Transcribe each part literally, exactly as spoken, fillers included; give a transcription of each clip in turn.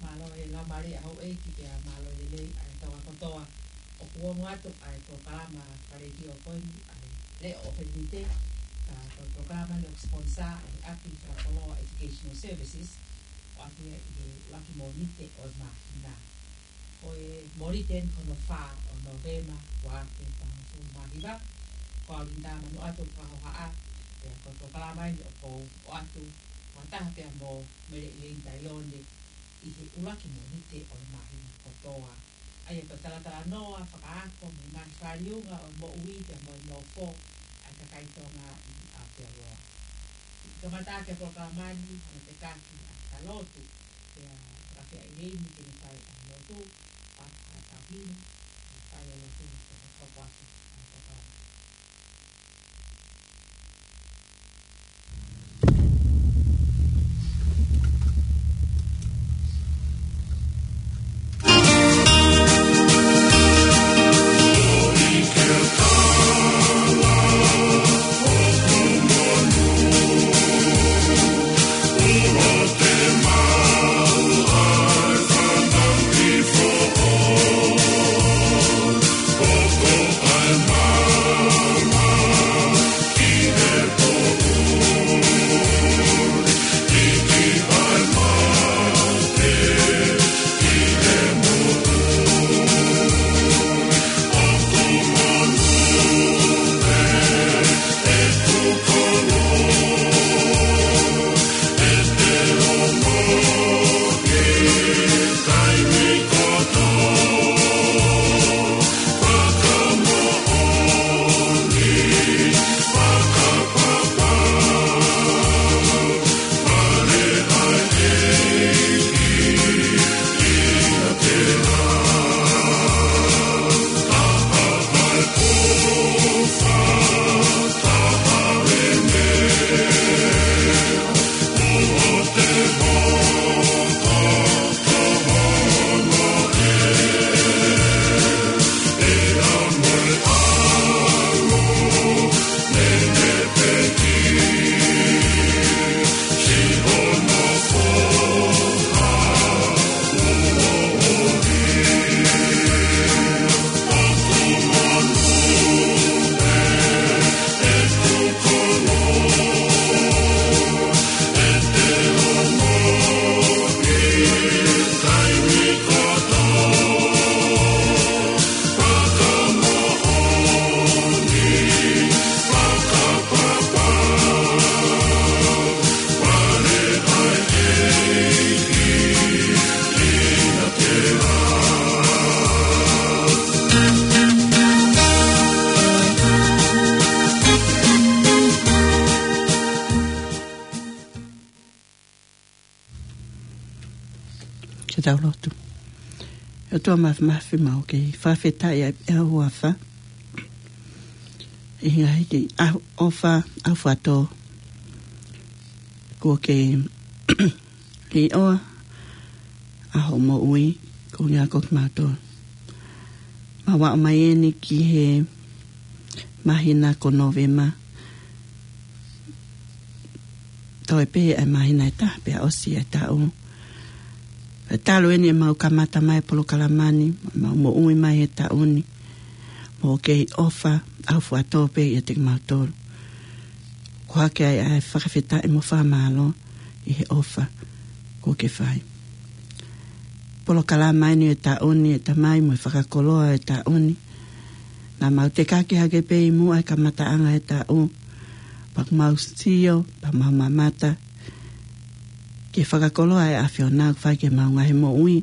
Mālō e laumālie ʻa houʻeiki pea mālō e lelei ʻa e Tonga kotoa. ʻOku ongo atu ʻa e polokalama fakaletio ko eni ʻa e Leʻo ʻo Fenite, ka ko e polokalama ni ʻoku sponsor ʻe he ʻApi Fakakoloa Educational Services, ʻoku ʻi ai ʻi he ʻuluaki Mōnite ʻo e māhina. Ko e Mōnite ni ko hono fā ʻo Nōvema, ua afe taha fulu mā hiva. Ko au Linda Manuʻatu Fakahohaʻa, pea ko e polokalama ni ʻoku ou ʻoatu fakataha pea mo Mele ʻIleini Tailone ʻi he ʻuluaki Mōnite ʻo e māhina kotoa. ʻA ia ko e talatalanoa fakaako mo e ngaahi fāliunga ʻo e moʻui pea mo e nofo ʻa e kakai Tonga ʻi Aotearoa. Kiʻi kamata ʻaki e polokalama ni, hanga ʻo tekaki ʻa e lotu, pea fakafeʻiloaki ke ne fai ʻa e lotu, pea ka tau hili, ʻa e fai ʻa e lotu, pea ka tau ʻaki ʻa e polokalama. Ke tau lotu. ʻOtua Māfimafi, mau kei fakafetaʻi ʻa e huafa ʻi he ngaahi ʻaho ʻofa, ʻaho fato. Kuo ke ʻiloa ʻa hoʻo moʻui, ko e ngaahi ko kimautolu. Mau aʻu mai eni ki he māhina ko Nōvema. Toe pē ʻa e māhina ʻe taha pea ʻosi e taʻu. Pea talu eni ʻemau kamata mai e polokalama ni, mau moʻui mai he taʻu ni. Mo kei ʻofa, ʻaho fato pē ʻiate kimautolu. Ko e hā ke ʻai ʻa e fakafetaʻi mo fakamālō ʻi he ʻofa kuo ke fai. Polokalama eni e taʻu ni, ʻe Tamai, mo e fakakoloa e taʻu ni. Naʻa mau tekaki hake pē ʻi muʻa he kamataʻanga e taʻu. Pea ʻoku mau sio, pea mau mamata ki he fakakoloa ʻa e ʻAfiona ʻoku fai ki heʻemau ngaahi moʻui,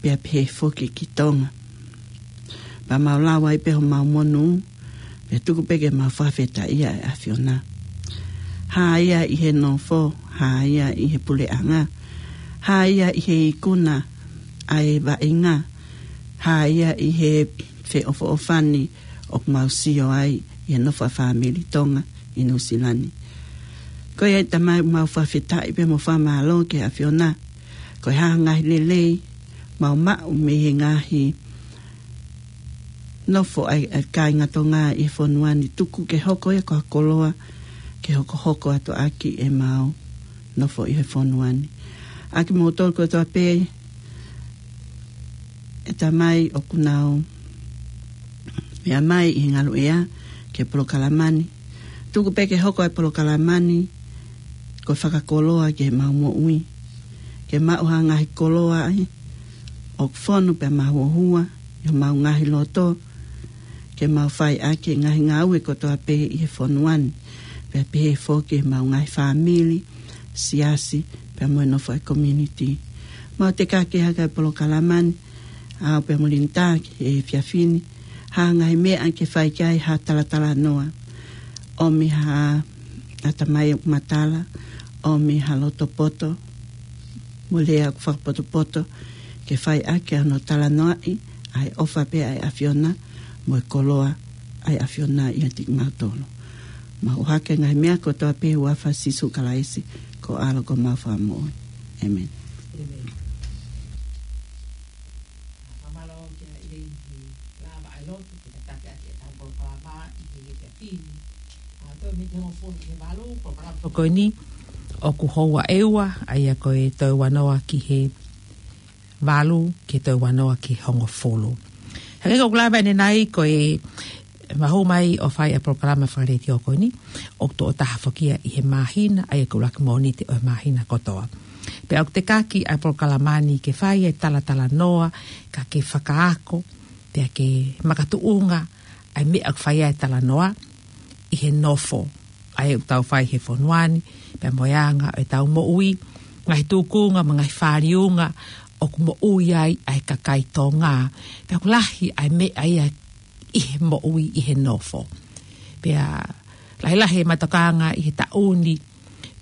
pea pehē foki ki Tonga. Pea mau lau ai pē homau monū, pea tuku pē ke mau fakafetaʻia ʻa e ʻAfiona. Hā ia ʻi he nofo, hā ia ʻi he puleʻanga, hā ia ʻi he ikuna ʻa e vaʻinga, hā ia ʻi he feʻofoʻofani ʻoku mau sio ai ʻi he nofo ʻa e fāmili Tonga ʻi Nuʻusila ni. Ko ia ʻe Tamai, mau fakafetaʻi pea mo fakamālō ki he ʻAfiona. Ko e hā ha ngaahi lelei mau maʻu mei he ngaahi nofo ʻa e, ʻa e kāinga Tonga ʻi he fonua ni, tuku ke hoko ia ko ha koloa ke hokohoko atu ʻaki ʻemau nofo ʻi he fonua ni. ʻA kimoutolu kotoa pē ʻe Tamai ʻoku nau meʻa mai ʻi he ngaluʻea ki he polokalama ni. Tuku pē ke hoko ʻa e polokalama ni ko e fakakoloa ki heʻemau moʻui. Ke maʻu ha ngaahi koloa ʻoku fonu pea mahuohua ʻi homau ngaahi loto, ke mau fai ʻaki e ngaahi ngāue kotoa pē ʻi he fonua ni, pea pehē foki ʻemau ngaahi fāmili, siasi, pea mo e nofo ʻa e community. Mau tekaki hake ʻa e polokalama ni, ʻa au pea mo Linda ki he efiafi ni, hā ha ngaahi meʻa ke fai ki ai ha talatalanoa. ʻOmi ha ʻatamai ʻoku matala, ʻomi ha loto poto mo e lea ʻoku fakapotopoto, ke fai ʻaki ʻa hono talanoaʻi ʻa e ʻofa pē ʻa e ʻAfiona mo e koloa ʻa e ʻAfiona ʻiate kimautolu. Mau ʻohake ngaahi meʻa kotoa pē ʻi he huafa ʻo Sīsū Kalaisi, ko e ʻAlo ko homau Fakamoʻui. ʻĒmeni. ʻĒmeni. Fakamālō kia ʻEileni he lava ʻa e lotu, ke tataki ʻaki ʻetau polokalama ʻi he efiafi ni. ʻA, toe mei he hongofulu ki he valu, polokalama ko eni ʻoku houa ʻe ua, ʻa ia ko e toe ua noa ki he valu, ki he toe ua noa ki he hongofulu. Hangē ko ʻeku lave ʻanenai, ko e mahulu mai ʻo fai ʻa e polokalama fakaletiō ko eni, ʻoku tuʻo taha foki ia ʻi he māhina, ʻa ia ko e ʻuluaki Mōnite ʻo e māhina kotoa. Pea ʻoku tekaki ʻa e polokalama ni ke fai e talatalanoa, kae ke fakaako, pea ke makatuʻunga ʻa e meʻa ʻoku fai ai e talanoa ʻi he nofo ʻa ia ʻoku tau fai he fonua ni, pea mo e anga ʻo ʻetau moʻui, ngaahi tūkunga mo e ngaahi fāliunga ʻoku moʻui ai ʻa e kakai Tonga. Pea ʻoku lahi ʻa e meʻa ia ʻi he moʻui ʻi he nofo. Pea lahilahi e matokanga ʻi he taʻu ni,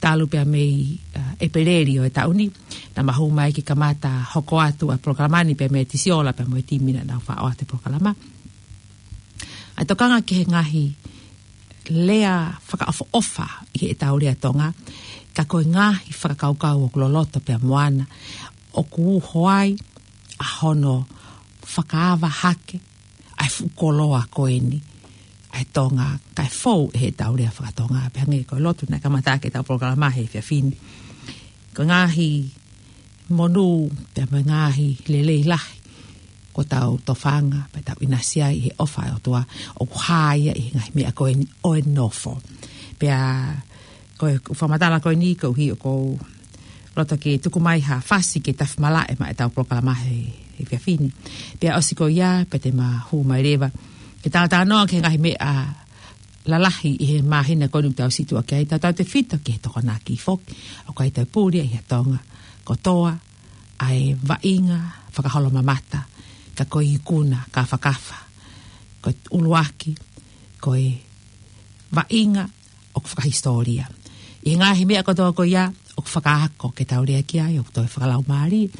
talu pea mei, ʻa, ʻEpeleli ʻo e taʻu ni, naʻa mahulu mai ke kamata hoko atu ʻa e polokalama ni pea mei Tisiola pea mo e timi naʻa nau faʻo atu e polokalama. ʻA e tokanga ki he ngaahi lea fakaʻofoʻofa ʻi heʻetau lea Tonga, ka ko e ngaahi fakakaukau ʻoku loloto pea mo ana, ʻoku uho ai ʻa hono fakaava hake ʻa e fuʻu koloa ko eni ʻa e Tonga, kae fou ʻi heʻetau lea faka-Tonga, pea hangē ko e lotu naʻe kamata ʻaki ʻetau polokalama he efiafi ni. Ko e ngaahi monū, pea mo e ngaahi lelei lahi, ko ʻetau tofanga, pea tau ʻinasi ai he ʻofa ʻa e ʻOtua, ʻoku hā ia ʻi he ngaahi meʻa ko eni ʻo e nofo. Pea ko e fakamatala ko eni, koeʻuhi ʻoku ou loto ke tuku mai ha fasi ke tafi malaʻe maʻa ʻetau polokalama he, he efiafi ni. Pea ʻosi ko ia, pea te ma hū mai leva ke talatalanoa ki he ngaahi meʻa lalahi ʻi he māhina ko eni ʻoku tau situʻa ki ai, tautautefito ki he Tokonaki foki, ʻoku ʻi ai ʻetau puli ʻi he Tonga kotoa, ʻa e vaʻinga fakaholomamata, ka ko e ikuna kāfakafa, ko e ʻuluaki, ko e vaʻinga ʻoku fakahisitōlia. ʻI he ngaahi meʻa kotoa ko ia, ʻoku fakaako ke tau lea ki ai, ʻoku toe fakalaumālie,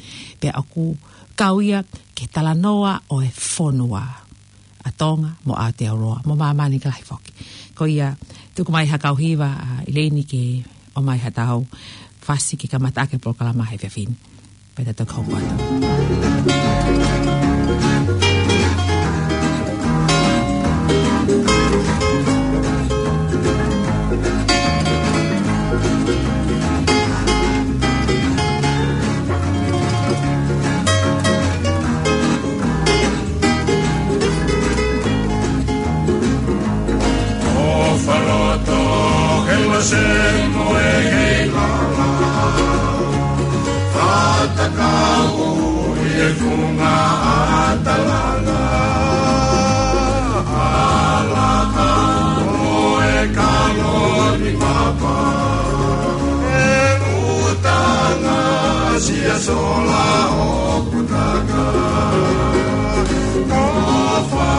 pea ʻoku kau ia ki he talanoa ʻo e fonua ʻa Tonga mo Aotearoa, mo māmani ka lahi foki. Ko ia, tuku mai ha kau hiva, ʻa ʻIleini ke ʻomai ha tau fasi ke kamata ʻaki e polokalama he efiafi ni. Pea tau toki hoko atu. ʻOfa loto he lose mo e hei lala. Fatakau ʻi he funga ʻa Talanga. Alaka mo e kalo ni mapa. E utanga sia sola ʻoku taka. Tofa,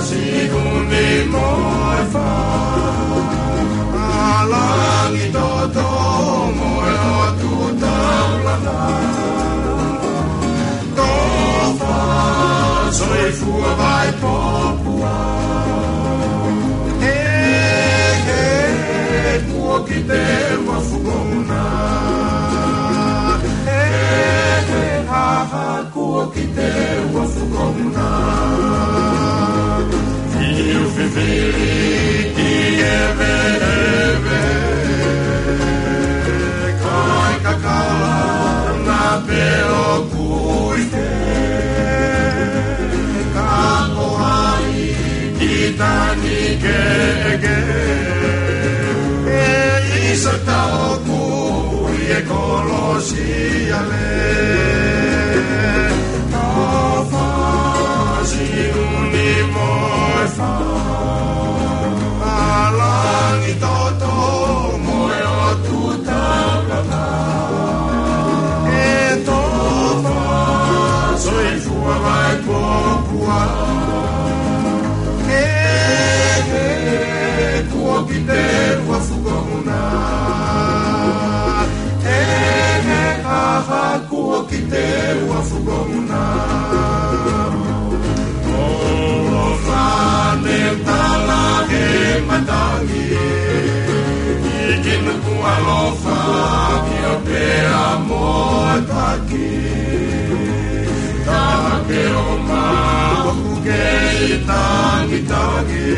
Siʻuni mo e Fa. ʻA Langitoto mo e ʻOtu Taulanga. Tofa, soifua Vaipopua. He, he, kuo kite ua fukomuna. He, he, ha, ha, kuo kite ua fukomuna. Fiu fifili ki he veʻe. Kai kakala na pē ʻoku ʻi hē. Ka ko hai ki tani keʻeke. ʻE ʻisa taʻoku ʻi he kolosi ale. Tofa, Siʻuni mo e Fa. ʻA Langitoto mo e ʻOtu Taulanga. ʻE Tofa, soifua Vaipopua. He, he, kuo kite ua fukomuna. He, he, ha, ha, kuo kite ua fukomuna. ʻOfa ne tala he matangi. ʻIki nuku alofa ki ʻo pea mo taki. Ka ke ʻomai ʻoku kei tangitangi.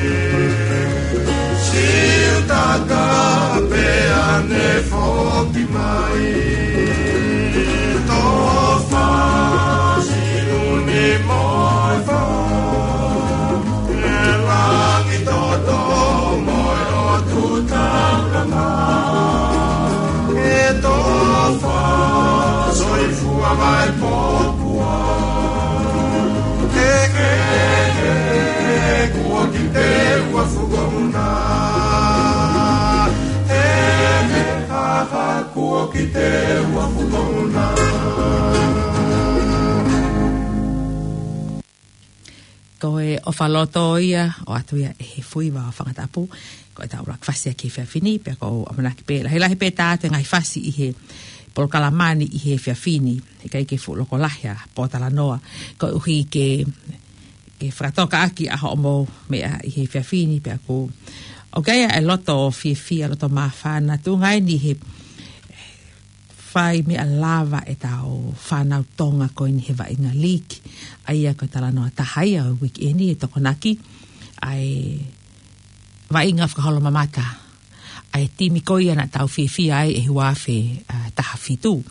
Siutaka pea ne foki mai. Tofa, Siʻuni mo e Fa. ʻE Langitoto mo e ʻOtu Taulanga. ʻE Tofa, soifua Vaipopua. He, he, he, kuo kite ua fukomuna. He, he, ha, ha, kuo kite ua fukomuna. Ko e ʻofa loto ia, ʻoatu ia ʻe he fuiva ʻo Fangatapu. Ko ʻetau ʻuluaki fasi ʻaki he efiafi ni, pea ʻoku ou ʻamanaki pē, lahilahi pē tā atu e ngaahi fasi ʻi he polokalama ni ʻi he efiafi ni. Heʻikai ke fuʻu loko lahi ʻa e pōtalanoa, koeʻuhi ke, ke fakatoka ʻaki ʻa hoʻomou meʻa ʻi he efiafi ni, pea ʻoku, ʻoku ʻi ai ʻa e loto fiefia, loto māfana, tuʻunga eni he fai meʻa lava ʻetau fānau Tonga ko eni he vaʻinga league. ʻA ia ko e talanoa taha ia ʻo e uike ni ʻe Tokonaki, ʻa e vaʻinga fakaholomamata ʻa e timi ko ia naʻa tau fiefia ai ʻi he ua afe, ā, taha fitu.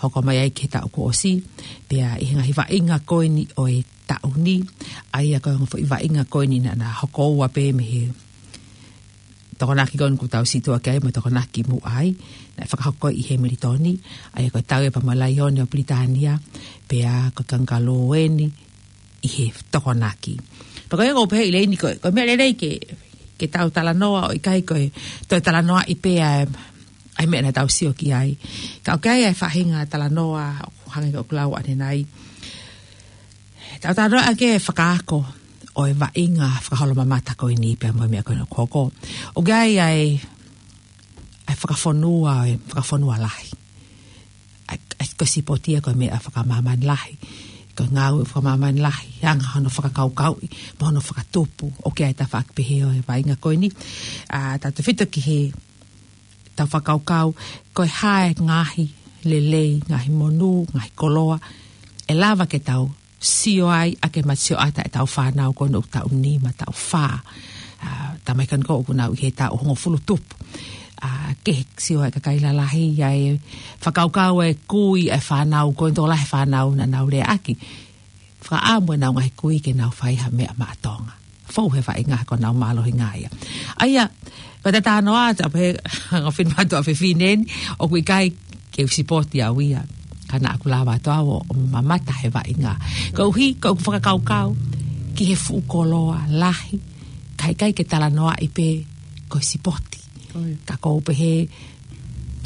Hoko mai ai ki he taʻu kuo ʻosi, pea ʻi he ngaahi vaʻinga ko eni ʻo e taʻu ni, ʻa ia ko e ongo foʻi vaʻinga ko eni naʻa, naʻa hoko ua pē mei he Tokonaki ko eni kuo tau sītuʻa ki ai mo e Tokonaki muʻa ai, naʻe fakahoko ʻi Hemilitoni, ʻa ia ko e Tauipa mo e Laione ʻo Pilitānia, pea ko e Kangalū eni ʻi he Tokonaki. Pea ko ia ʻoku ou pehē ʻi leni ko, ko e meʻa lelei ke, ke tau talanoa ʻo ʻikai ko e toe talanoaʻi pē ʻa e, ʻa e meʻa naʻa tau sio ki ai. Ka ʻoku ʻi ai ʻa e faʻahinga talanoa, ʻoku hangē ko ʻeku lau ʻanenai. Tau talanoa ʻaki e fakaako ʻo e vaʻinga fakaholomamata ko eni pea mo e meʻa ko eni ʻoku hoko. ʻOku ʻi ai ʻa e ʻa e fakafonua, ʻa e fakafonua lahi. ʻA e, ʻa e, ko e sipoti ia ko e meʻa fakamāmani lahi. Ko e ngāue fakamāmani lahi, anga hono fakakaukauʻi, mo hono fakatupu. ʻOku ʻi ai e tafaʻaki pehē ʻo e vaʻinga ko eni. ʻA, tautefito ki heʻetau fakakaukau, ko e hā e ngaahi lelei, ngaahi monū, ngaahi koloa ʻe lava ke tau sio ai ʻaki e matasioʻata ʻetau fānau ko eni ʻoku taʻu nima, taʻu fā. ʻA, taimi ko eni ʻoku nau ʻi he taʻu hongofulu tupu. ʻA, ke sio ai e kakai lalahi, ʻa e fakakaukau e kui e fānau, ko e tokolahi e fānau naʻa nau leaʻaki. Fakaʻamu ʻenau ngaahi kui ke nau fai ha meʻa maʻa Tonga. Fou he vaʻinga ko ʻenau mālohinga ia. ʻA ia, ko e talanoa atu pē, ʻa e fine mātuʻa fefine ni, ʻoku ʻikai ke u sipoti au ia. Ka naʻa ku lava atu au ʻo mamata he vaʻinga. Koeʻuhi, ko ʻeku fakakaukau ki he fuʻu koloa lahi, ka ʻikai ke talanoaʻi pē ko e sipoti. ʻOi. Ka ʻoku ou pehē,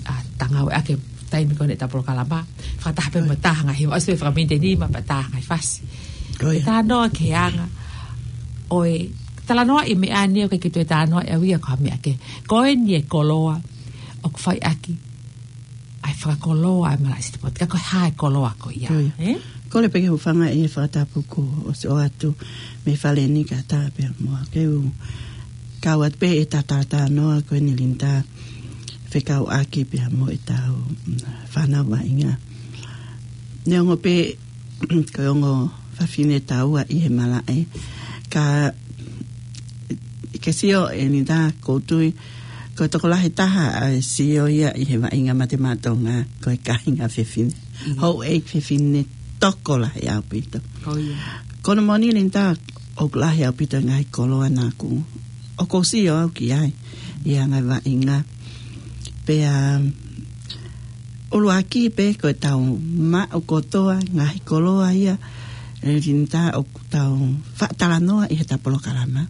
ʻa, tangau ʻaki e taimi ko eni ʻetau polokalama. Fakataha pē mo e taha ngaahi, ʻosi pē fakaminiti ʻe nima pea taha ngaahi fasi. ʻOi. Ke talanoa ki he anga ʻo e, talanoaʻi e meʻa ni ʻoku ʻikai ke toe talanoaʻi au ia ko ha meʻa kehe. Ko eni e koloa ʻoku fai ʻaki ʻa e fakakoloa ʻa e malaʻe sitipoti, ka ko e hā e koloa ko ia. ʻOi. Ē? Kole pē ke u hūfanga ʻi he fakatapu kuo ʻosi ʻoatu mei Fale ni kae ʻatā pē muʻa ke u kau atu pē ʻi he talanoa ko eni Linda fekauʻaki pea mo ʻetau, mm, fānau vaʻinga. Neongo pē ko e ongo fafine taua ʻi he malaʻe, ka ke sio ʻe Linda, ʻoku ou tui ko e tokolahi taha ʻa e sio ia ʻi he vaʻinga Mate Maʻa Tonga ko e kāinga fefine. Mm. Houʻeiki fefine tokolahi ʻaupito. ʻOi. Ko hono moʻoni Linda, ʻoku lahi ʻaupito e ngaahi koloa naʻa ku, ʻoku ou sio au ki ai ʻi he anga e vaʻinga. Pea ʻuluaki pē ko ʻetau maʻu kotoa ngaahi koloa ia, ʻe Linda, ʻoku tau faʻa talanoa ʻi heʻetau polokalama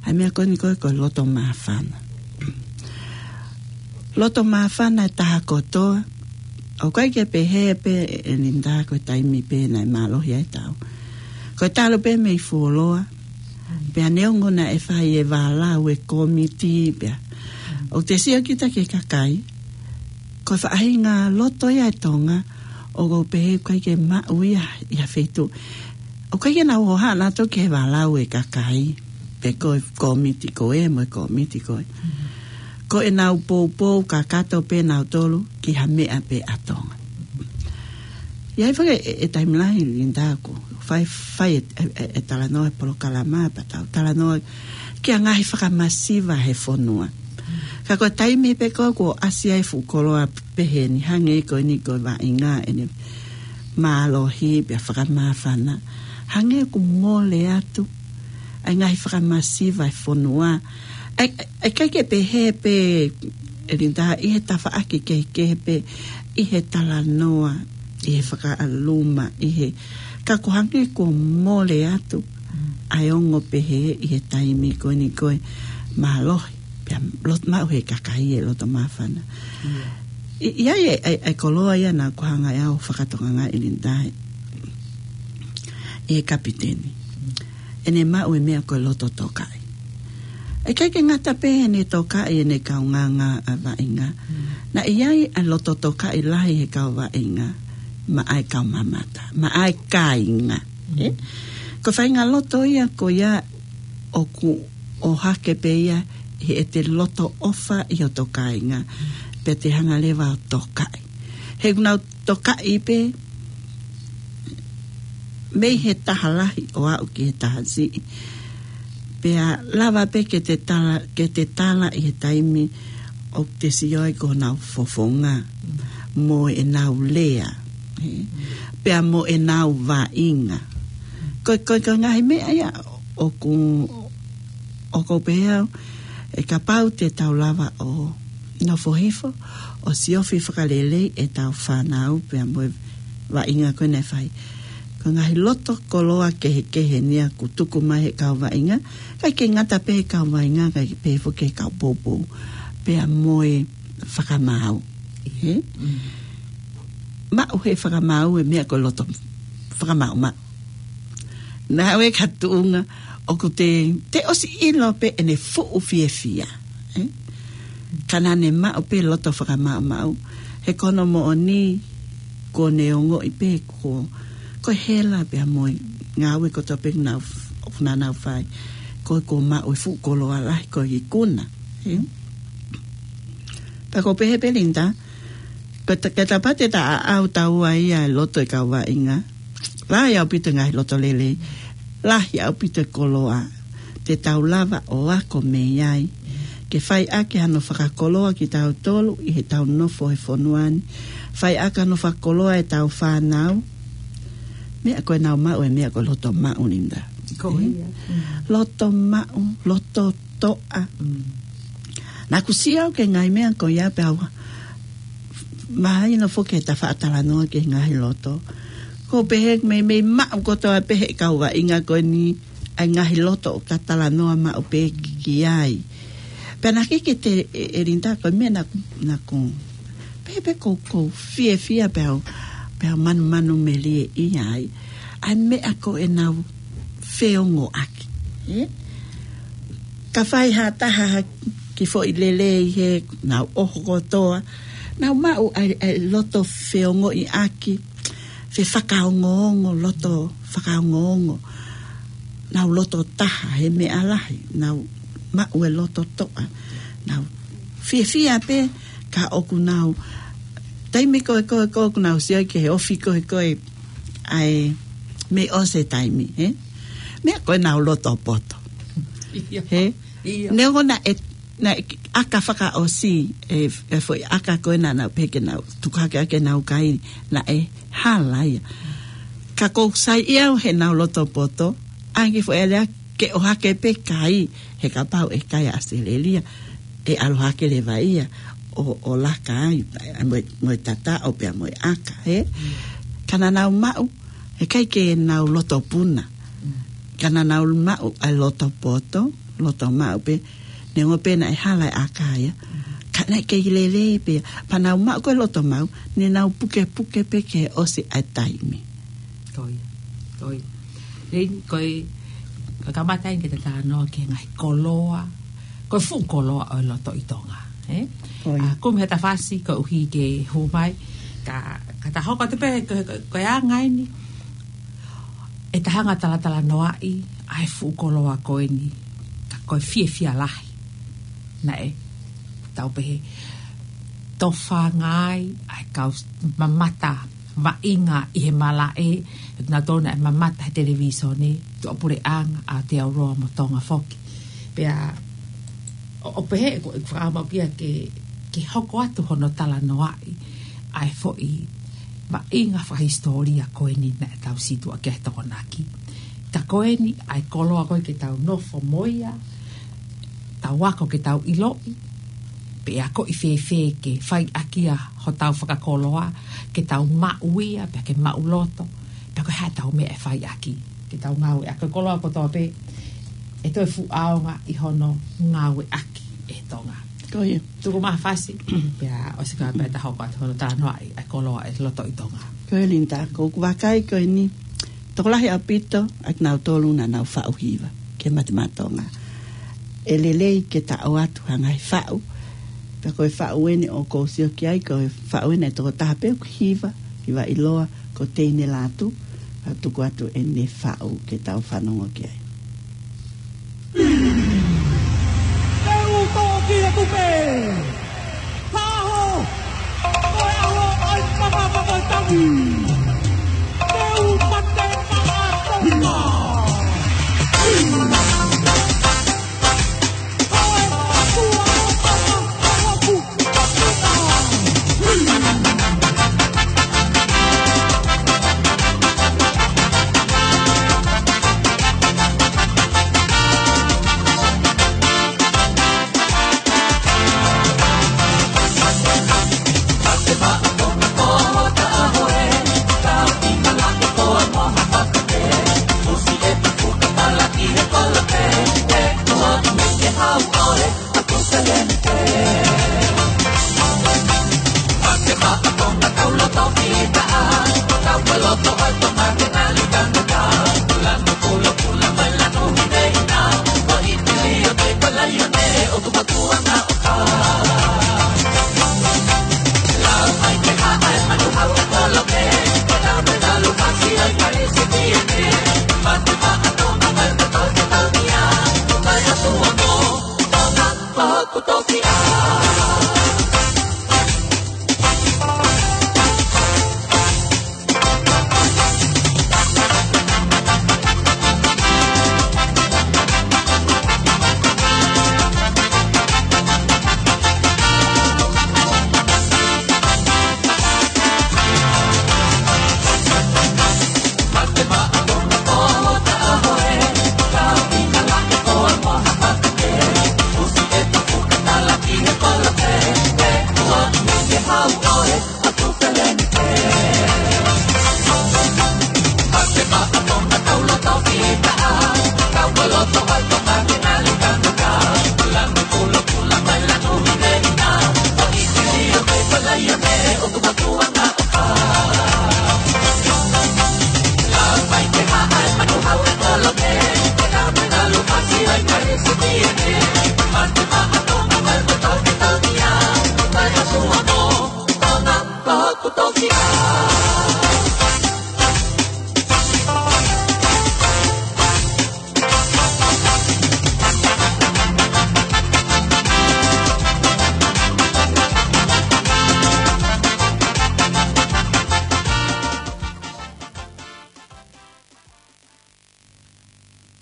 ʻa e meʻa ko eni ko e, ko e loto māfana. Loto māfana e taha kotoa. ʻOku ʻikai ke pehē pē ʻe Linda ko e taimi pē naʻe mālohi ai e tau, ko e talu pē mei fuoloa. Pea neongo naʻe fai e vālau e kōmiti pea ʻoku te sio kita ki he kakai, ko e faʻahinga loto ia ʻa e Tonga ʻoku ou pehē ʻoku ʻikai ke maʻu ia ʻi ha feituʻu. ʻOku ʻikai ke nau hohaʻa nautolu ki he vālau e kakai, pe ko e kōmiti ko ē mo e kōmiti ko ē. Mm. Ko ʻenau poupou kakato pē nautolu ki ha meʻa pē ʻa Tonga. ʻI ai foki e, e taimi lahi Linda ʻoku fai, fai e, e, e, e talanoa he polokalama pea tau talanoa ki he ngaahi fakamasiva he fonua. Ka ko e taimi pē ko ē kuo ʻasi ai e fuʻu koloa pehē ni, hangē ko eni ko e vaʻinga ʻene mālohi pea fakamāfana, hangē ʻoku mole atu ʻa e ngaahi fakamasiva he fonua. ʻAi, ʻai, ʻikai ke pehē pē ʻe Linda ʻi he tafaʻaki kehekehe pē, ʻi he talanoa, ʻi he fakaʻaluma, ʻi he, ka ʻoku hangē kuo mole atu ʻa e ongo pehē ʻi he taimi ko eni ko e mālohi pea lot-, maʻu he kakai e loto māfana. Ia. ʻI, ʻi ai e, e, e koloa ia naʻa ku hanga ʻe au ʻo fakatokangaʻi Linda ʻi he kapiteni. ʻEne maʻu e meʻa ko e loto tokaʻi. ʻIkai ke ngata pē heʻene tokaʻi ʻene kaungāngāvaʻinga. Mm. Naʻe ʻi ai ʻa e loto tokaʻi lahi he kau vaʻinga maʻa e kau mamata, maʻa e kāinga. Mm. Ē? Ko e faʻahinga loto ia ko ia ʻoku ʻohake pē ia ʻi heʻete loto ʻofa ʻi hoto kāinga. Pea te hanga leva ʻo tokaʻi. He ʻoku nau tokaʻi pē mei he taha lahi ʻo aʻu ki he taha siʻi. Pea lava pē ke te tala, ke te tala ʻi he taimi ʻoku te sio ai ko honau fofonga mo ʻenau lea, ē? Pea mo ʻenau vaʻinga. Ko, ko, ko e ngaahi meʻa ia ʻoku, ʻoku ou pehē au, ʻe kapau te tau lava ʻo nofo hifo ʻo siofi fakalelei ʻetau fānau pea mo e vaʻinga ko ē naʻe fai. Ko e ngaahi loto koloa kehekehe ni ia ʻoku tuku mai he kau vaʻinga, ʻikai ke ngata pē he kau vaʻinga, kae pehē foki ki he kau poupou pea mo e fakamaau. Ē? Mm. Maʻu he fakamaau e meʻa ko e loto fakamaau maʻu. Naʻe ʻi ai e tuʻunga ʻoku te, te ʻosi ʻilo pē ʻene fuʻu fiefia. Ē? Ka naʻa ne maʻu pē loto fakamaʻumaʻu. He ko hono moʻoni, kuo ne ongoʻi pē ko, ko e hela pea mo e ngāue kotoa pē ʻoku nau f-, ʻoku nau fai. Ko e kuo maʻu e fuʻu koloa lahi ko e ikuna. Ē? Pea ʻoku ou pehē pē Linda, ko e ta-, ke tapate ta a au taua ia e loto e kau vaʻinga. Lahi ʻaupito e ngaahi loto lelei. Lahi ʻaupito e koloa te tau lava ʻo ako mei ai. Ke fai ʻaki hano fakakoloa kitautolu ʻi heʻetau nofo he fonua ni. Fai ʻaki hano fakakoloa ʻetau fānau. Meʻa ko ē naʻa nau maʻu, e meʻa ko e loto maʻu Linda. Ko ia. Mm. Loto maʻu, loto toʻa. Mm. Naʻa ku sio au ki he ngaahi meʻa ko ia pea u mahino foki he ta faʻa talanoa ki he ngaahi loto. ʻOku ou pehē meimei maʻu kotoa pē he kau vaʻinga ko eni ʻa e ngaahi loto ʻoku ta talanoa maʻu pē ki ai. Pea naʻe ʻikai ke te ʻe, ʻe Linda ko e meʻa naʻa, naʻa ku pehē pē ʻoku ou, ʻoku ou fiefia pea u, pea u manumanumelie ʻi ai. ʻA e meʻa ko ʻenau feongoʻaki. Ē? Ka fai ha taha ha kiʻi foʻi lelei he nau ʻoho kotoa. Nau maʻu ʻa e, ʻa e loto feongoʻiʻaki. Fefakaongoongo, loto fakaongoongo. Nau loto taha he meʻa lahi. Nau maʻu e loto toʻa. Nau fiefia pē ka ʻoku nau. Taimi ko ē ko ē ko ē ʻoku nau sio ki he ofi ko ē ko ē ʻa e mei ʻosi e taimi, ē? Meʻa ko ē nau loto poto. Ia. Ē? Ia. Neongo naʻe, naʻe ʻaka fakaʻosi, e, e foʻi ʻaka ko ē naʻa nau pehē ke nau, tuku hake ʻaki ʻenau kai, naʻe hala ia. Ka ʻoku ou saiʻia au heʻenau loto poto, ʻa e kiʻi foʻi lea ke ʻohake pē kai, he kapau ʻe kai ʻa ʻAositelēlia, ʻe ʻalu hake leva ia, ʻo, ʻo laka ai, mo e, mo e tataʻo pea mo e ʻaka, ē? Mm. Ka naʻa nau maʻu, ʻikai ke nau loto puna. Mm. Ka naʻa nau maʻu ʻa e loto poto, loto maʻu pē, neongo pē naʻe hala e ʻaka ia. Mm. Ka naʻe kei lelei pē, pea nau maʻu ko e loto maʻu, ne nau pukepuke pē ke ʻosi ʻa e taimi. Ko ia, ko ia. Leni, ko e, ko e kamata eni ke ta talanoa ki he ngaahi koloa, ko e fuʻu koloa ʻo e loto ʻi Tonga, ē? Ko ia. ʻA, kumi he ta fasi, koeʻuhi ke hū mai, ka, ka ta hoko atu pē, ko, ko, ko e anga eni, ʻe ta hanga talatalanoaʻi, ʻa e fuʻu koloa ko eni, ka ko e fiefia lahi. Naʻe, tau pehē, tofanga ai, ʻa e kau mamata, vaʻinga ʻi he malaʻe, ʻe nautolu naʻe mamata he televīsone, tuʻapuleʻanga, ʻa Aotearoa mo Tonga foki. Pea, ʻo, ʻo pehē, ko, ko fakamau kia ke, ke hoko atu hono talanoaʻi, ʻa e foʻi vaʻinga fakahisitōlia ko eni naʻa tau situʻa ki he Tokonaki. Ka ko eni, ʻa e koloa ko ē ke tau nofo mo ia, tau ako ke tau ʻiloʻi, pe ʻe akoʻi fēfē ke fai ʻaki ia hotau fakakoloa, ke tau maʻu ia, pea ke maʻu loto, pea ko e hā ʻetau meʻa ʻe fai ʻaki, ke tau ngāueʻaki e koloa kotoa pē, ʻe toe fuʻu ʻaonga ʻi hono ngāueʻaki ʻe Tonga. Ko ia. Tuku mai ha fasi, pea ʻosi ko ia pea ta hoko atu hono talanoaʻi ʻa e koloa ʻo e loto ʻi Tonga. Ko ia Linda, ʻoku ou vakai ko eni, tokolahi ʻaupito, ʻa kinautolu naʻa nau faʻu hiva, ki he Mate Maʻa Tonga. ʻE lelei ke ta ʻoatu ha ngaahi faʻu, pea ko e faʻu eni ʻoku ou sio ki ai, ko e faʻu eni e tokotaha pē ʻoku hiva, hiva ʻiloa, ko Teine Lātū, ka tuku atu eni e faʻu ke tau fanongo ki ai. Te u toki atu pē. Taho. Ko e ʻaho ʻo e tangata ko e tangi. Te u mate maʻa Tonga. Ko e tua o Tonga, ko hoku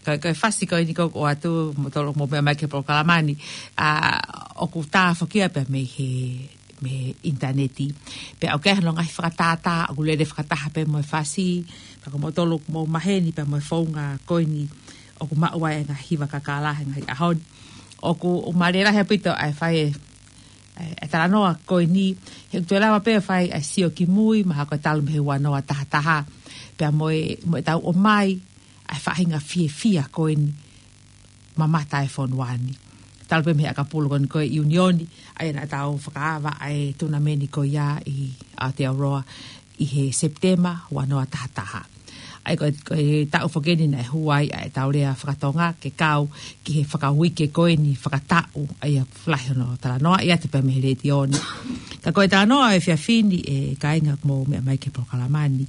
Ko e, ko e fasi ko eni ʻoku ʻoatu, mou tolu mou meʻa mai ki he polokalama ni, ʻa, ʻoku tā foki ia pea mei he, mei he ʻinitaneti. Pea ʻoku ʻi ai hono ngaahi fakatātā, ʻoku lele fakataha pē mo e fasi, pea ko mou tolu mou maheni pea mo e founga ko eni, ʻoku maʻu ai e ngaahi hiva kakala he ngaahi ʻaho ni. ʻOku, ʻoku mālie lahi ʻaupito ʻa e fai e, e, e talanoa ko eni, he ʻoku toe lava pē fai ʻa e sio ki mui, mahalo ko e talu mei he ua noa taha taha, pea mo e, mo e tau ʻomai, ʻa e faʻahinga fiefia ko eni, mamata e fonua ni. Talu pē mei he ʻakapulu ko eni ko e ʻIunioni, ʻa ia naʻa tau fakaava ʻa e tunameni ko ia ʻi Aotearoa ʻi he Sepitema, ua noa taha taha. ʻA ia ko e, ko e taʻu foki eni naʻe hū ai ʻa e tau lea fakatonga ke kau ki he fakauike ko eni fakataʻu, ʻa ia ʻoku lahi hono talanoaʻi atu pē mei he letiō ni. Ka ko e talanoa ʻo e efiafi ni ʻe kāinga ʻoku mou meʻa mai ki he polokalama ni.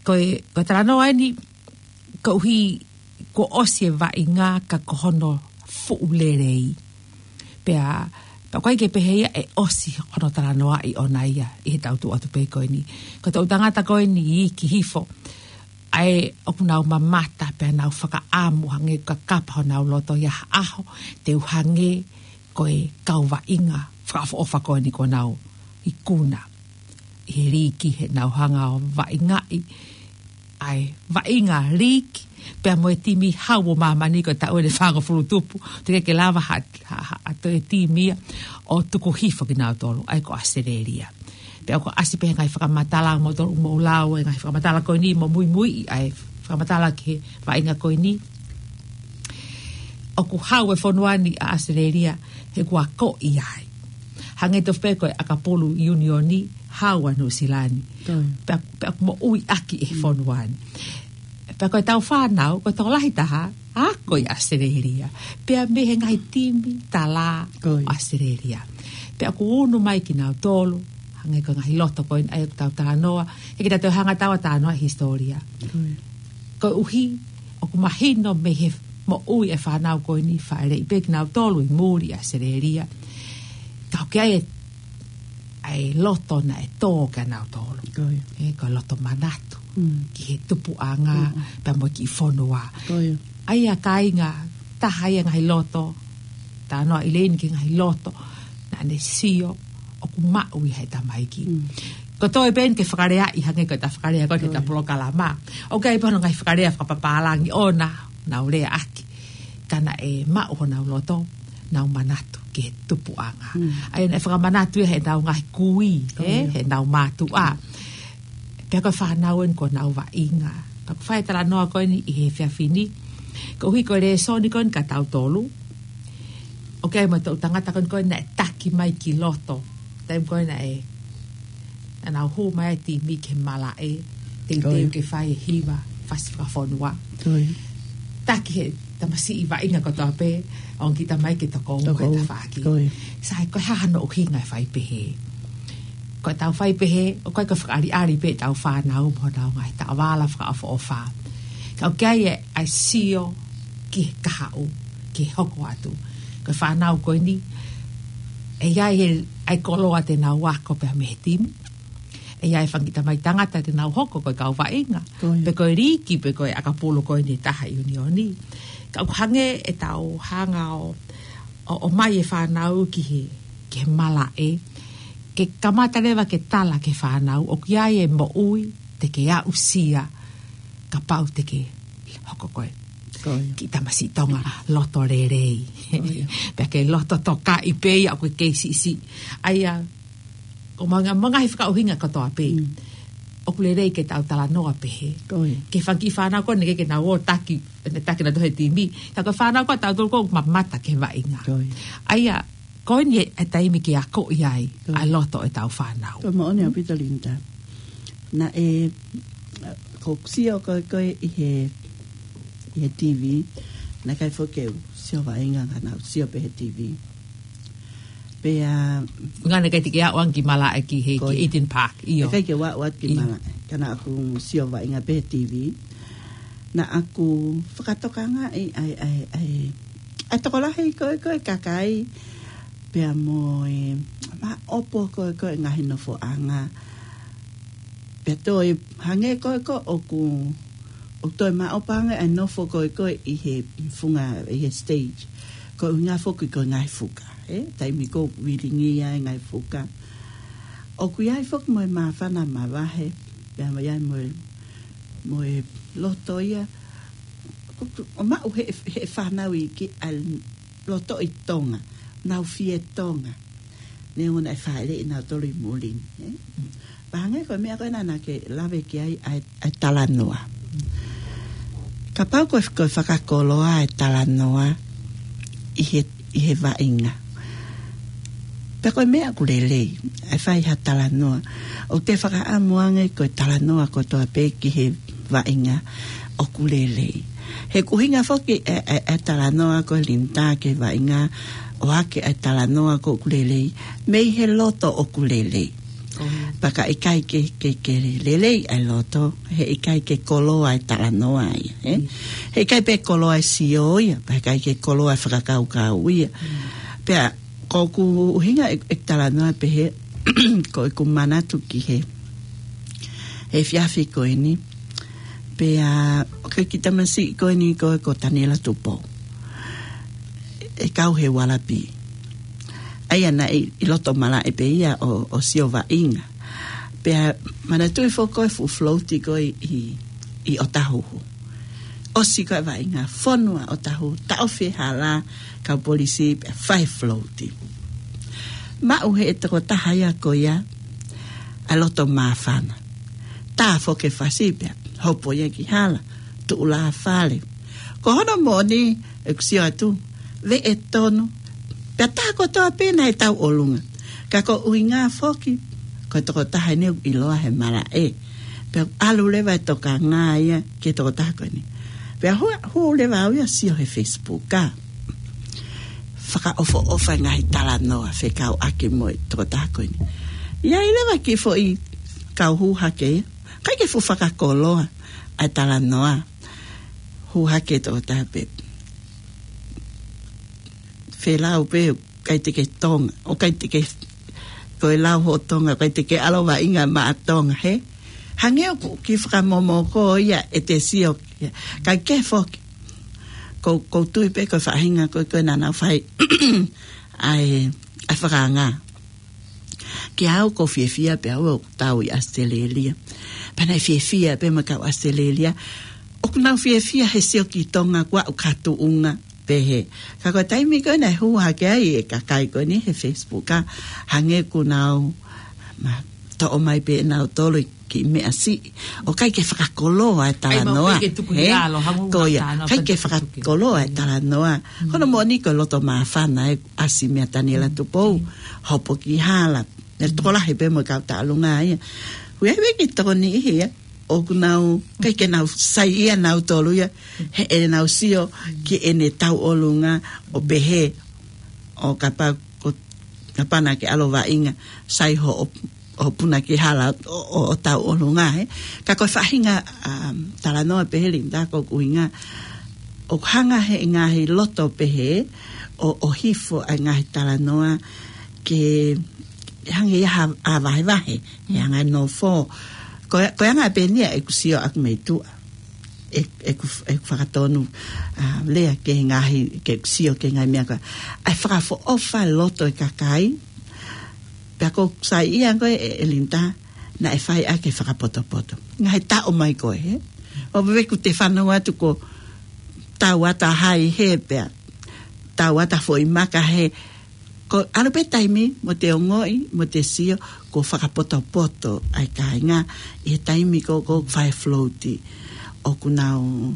Ko e, ko e talanoa eni, koeʻuhi kuo ʻosi e vaʻinga ka ko hono fuʻu lelei. Pea, pea ʻoku ʻikai ke pehē ia ʻe ʻosi hono talanoaʻi ʻona ia ʻi he tau tuʻu atu pē ko eni. Ko e tau tangata ko eni ʻi ki hifo. ʻA ia ʻoku nau mamata pea nau fakaʻamu hangē ʻoku kakapa honau loto ia ha ʻaho, te u hangē ko e kau vaʻinga fakaʻofoʻofa ko eni kuo nau ikuna ʻi he liiki, heʻenau hanga ʻo vaʻingaʻi ʻa e vaʻinga liiki pea mo e timi hau ʻo māmani ko e taʻu ʻe fāngofulu tupu, teʻeki ke lava ha, ha, ha, ha toe timi ia ʻo tuku hifo kinautolu, ʻa ia ko ʻAositelēlia. Pea ʻoku ʻasi pē he ngaahi fakamatala, mou tolu mou lau e ngaahi fakamatala ko eni mo muimui ʻa e fakamatala ki he vaʻinga ko eni. ʻOku hau e fonua ni ʻa ʻAositelēlia he kuo akoʻi ai. Hangē tofu pē ko e ʻakapulu ʻIunioni, hau ʻa Nuʻusila ni. Pea, pea ʻoku moʻui ʻaki e fonua ni. Pea ko e tau fānau, ko e tokolahi taha, ako ʻi ʻAositelēlia. Pea mei he ngaahi timi tala ʻAositelēlia. Pea ʻoku unu mai kinautolu, hangē ko e ngaahi loto ko eni ʻa ia ʻoku tau talanoa, he ʻikai ke tau hanga ʻo talanoa hisitōlia. Koeʻuhi, ʻoku mahino mei he moʻui e fānau ko eni fāʻeleʻi pē kinautolu ʻi muli ʻAositelēlia. Ka ʻoku ʻi ai e, ʻa e loto naʻe tō kia nautolu. ʻE, ko e loto manatu ki he tupuʻanga, pea mo e kiʻi fonua. ʻA ia kāinga, taha ia ngaahi loto, talanoa ʻEileni ki he ngaahi loto naʻa ne sio ʻoku maʻu ʻe he tamaiki. Ko e toe pē eni ke fakalea ʻi hangē ko e ta fakalea ko e ta polokalama. ʻOku ʻi ai pē hono ngaahi fakalea fakapapālangi ʻona, nau lea ʻaki. Ka naʻe maʻu honau loto, nau manatu ki he tupuʻanga. ʻA ia naʻe fakamanatu ia heʻenau ngaahi kui, heʻenau mātuʻa. Pea ko e fānau eni kuo nau vaʻinga. Pea ʻoku fai e talanoa ko eni ʻi he efiafi ni. Koeʻuhi ko e lēsoni ko eni kia tautolu. ʻOku ʻi ai mo e tau tangata ko eni ko eni naʻe taki mai ki loto. Taimi ko eni naʻe, naʻa nau hū mai e timi ki he malaʻe. Teuteu ke fai e hiva, fasi fakafonua. Taki he tamasiʻi vaʻinga kotoa pē, ʻo ʻomi ki tamaiki ke tokoua he tafaʻaki. Sai, ko e hā hono ʻuhinga e fai pehē? Ko e tau fai pehē, ʻoku ʻikai ko e fakaʻaliʻali pē ʻetau fānau mo honau ngaahi taʻovala fakaʻofoʻofa. Ka ʻoku ʻi ai e, ʻa e sio ki he kahaʻu, ki he hoko atu. Ko e fānau ko eni, ʻe ʻi ai e, ʻa e koloa te nau ako pea mei he timi. ʻE ʻi ai e fanga kiʻi tamaiki tangata te nau hoko ko e kau vaʻinga. Pe ko e liiki, pe ko e ʻakapulu ko eni taha ʻIunioni. Ka ʻoku hangē ʻetau hanga ʻo, ʻo, ʻomai e fānau ki he, ki he malaʻe. Ke kamata leva ke tala ki he fānau, ʻoku ʻi ai e moʻui, te ke aʻusia, kapau te ke hoko ko e kiʻi tamasiʻi Tonga loto lelei. Pea ke loto tokaʻi pē ia ʻoku ke kei siʻisiʻi. ʻA ia, ko e ngaahi, mo e ngaahi fakaʻuhinga kotoa pē. ʻOku lelei ke tau talanoa pehē. Ki he fanga kiʻi fānau ko eni ke, ke nau ō taki, ne taki nautolu he timi. Ka ko e fānau ko ē tautolu ʻoku mamata ki he vaʻinga. ʻA ia, ko eni e, e taimi ke akoʻi ai ʻa e loto ʻetau fānau. Ko e moʻoni ʻaupito Linda. Naʻe, ko e sio ko ē, ko ē ʻi he, ʻi he TV, naʻe ʻikai foki ke u sio vaʻinga ka naʻa ku sio pē he TV. Pea ngana kai te ke aʻu ange ki malaʻe ki he, ki Eden Park, ʻio. ʻIkai ke u aʻu atu ki malaʻe. Ka naʻa ku sio vaʻinga pē he T V. Naʻa ku fakatokangaʻi ʻa e, ʻa e, ʻa e, ʻa e tokolahi ko ē, ko ē kakai. Pea mo e, maʻopo ko ē, ko ē ngaahi nofoʻanga. Pea toe hangē ko ē ko ē ʻoku, ʻoku toe maʻopo ange ʻa e nofo ko ē ko ē ʻi he, ʻi funga, ʻi he stage. Ko e ʻuhinga foki ko e ngaahi fuka, ē? Taimi ko ē ʻoku vilingia e ngaahi fuka. ʻOku ʻi ai foki mo e māfana mavahe, pea mo ʻi ai mo e, mo e loto ia. ʻO maʻu he, he fānau iiki ʻa e loto ʻi Tonga, nau fie Tonga. Neongo naʻe fāʻeleʻi nautolu ʻi muli ni, ē? Pea hangē ko e meʻa ko ē naʻa ke lave ki ai ʻa e, ʻa e talanoa. Kapau ko e, ko e fakakoloa e talanoa ʻi he, ʻi he vaʻinga. Pea ko e meʻa ʻoku lelei, ʻa e fai ha talanoa. ʻOku te fakaʻamu ange ko e talanoa kotoa pē ki he vaʻinga ʻoku lelei. He ko e ʻuhinga foki e, e, e talanoa ko e Linda ki he vaʻinga ʻohake ʻa e talanoa ko ē ʻoku lelei, mei he loto ʻoku lelei. Pea ka ʻikai ke, ke, ke lelei ʻa e loto, heʻikai ke koloa e talanoa ia, ē? Heʻikai pē koloa e sio ia, pea heʻikai ke koloa e fakakaukau ia. Pea ko ʻeku ʻuhinga e, e talanoa pehē, ko ʻeku manatu ki he, he efiafi ko eni. Pea, ʻoku ʻi ai e kiʻi tamasiʻi ko eni ko, ko Taniela Tupou. ʻE kau he ualapi. ʻA ia naʻe ʻi, ʻi loto malaʻe pē ia ʻo, ʻo sio vaʻinga. Pea manatuʻi foki ko e fuʻu float ko ē ʻi, ʻi ʻOtahuhu. ʻOsi ko ē vaʻinga, fonu ʻa ʻOtahuhu, taʻofi e hala, kau polisi pea fai float. Maʻu he tokotaha ia ko ia ʻa e loto māfana. Tā foki e fasi pea hopo ia ki hala, tuʻu lāfale. Ko hono moʻoni ʻeku sio atu, veʻe tonu, pea tā kotoa pē naʻe tauʻolunga. Ka ko e ʻuhinga foki, ko e tokotaha eni ʻoku ʻiloa he malaʻe. Pea ʻalu leva e tokanga ia ki he tokotaha ko eni. Pea hū, hū leva au ia ʻo sio he Facebook, ka fakaʻofoʻofa e ngaahi talanoa fekauʻaki mo e tokotaha ko eni. ʻI ai leva e kiʻi foʻi kau hū hake ia. ʻIkai ke fuʻu fakakoloa ʻa e talanoa. Hū hake e tokotaha pē. Felau pē, ʻikai te ke Tonga, ʻoku ʻikai te ke, ko e lau hoʻo Tonga, ʻikai te ke ʻalu vaʻinga maʻa Tonga, hē? Hangē ʻoku kiʻi fakamomoko ia ʻete sio, ʻikai ke foki. Ko, ʻoku ou tui pē ko e faʻahinga ko ē, ko ē naʻa nau fai ʻa e, ʻa e fakaanga. Kiate au ʻoku ou fiefia pē au ʻoku tau ʻi ʻAositelēlia. Pea naʻe fiefia pē mo e kau ʻAositelēlia. ʻOku nau fiefia he sio ki Tonga kuo aʻu ki ha tuʻunga pehē. Ka ko e taimi ko ē naʻe hū hake ai e kakai ko eni he Facebook, ka hangē kuo nau, ma, toʻo mai pē ʻe nautolu e kiʻi meʻa siʻi. ʻOku ʻikai ke fakakoloa e talanoa. Hē? Ko ia, ʻikai ke fakakoloa e talanoa. Ko hono moʻoni ko e loto māfana ē, ʻasi meia Taniela Tupou, hopo ki hala. Naʻe tokolahi pē mo e kau tauʻolunga ia. Hui ai pē ki he tokoni ia. ʻOku nau, ʻikai ke nau saiʻia nautolu ia. He ʻenau sio ki heʻene tauʻolunga ʻo pehē. ʻO kapau ko, kapau naʻa ke ʻalu vaʻinga, sai hoʻo, hoʻo puna ki hala ʻo, ʻo, ʻo tauʻolunga, hē? Ka ko e faʻahinga, um, talanoa pehē Linda ko ʻeku ʻuhinga. ʻOku hanga he ngaahi loto pehē ʻo, ʻo hifo ʻa e ngaahi talanoa ke hangē ia ha, ha vahevahe, he anga e nofo. Ko e, ko e anga pē eni ia ʻeku sio ʻaku mei tuʻa. ʻE, ʻeku, ʻeku fakatonu, a, lea ki he ngaahi, ke sio ki he ngaahi meʻa ko ē. ʻA e fakaʻofoʻofa loto e kakai, pea ʻoku ou saiʻia ko ē, ʻe, ʻe Linda, naʻe fai ʻaki e fakapotopoto. Ngaahi taʻu mai ko ē, hē? ʻO veve ʻoku te fanongo atu ko e tauʻatāina hē pea, tauʻatāina foʻi maka hē, ko e ʻalu pē taimi mo te ongoʻi, mo te sio, kuo fakapotopoto ʻa e kāinga, ʻi he taimi ko ē ʻoku fai float, ʻoku nau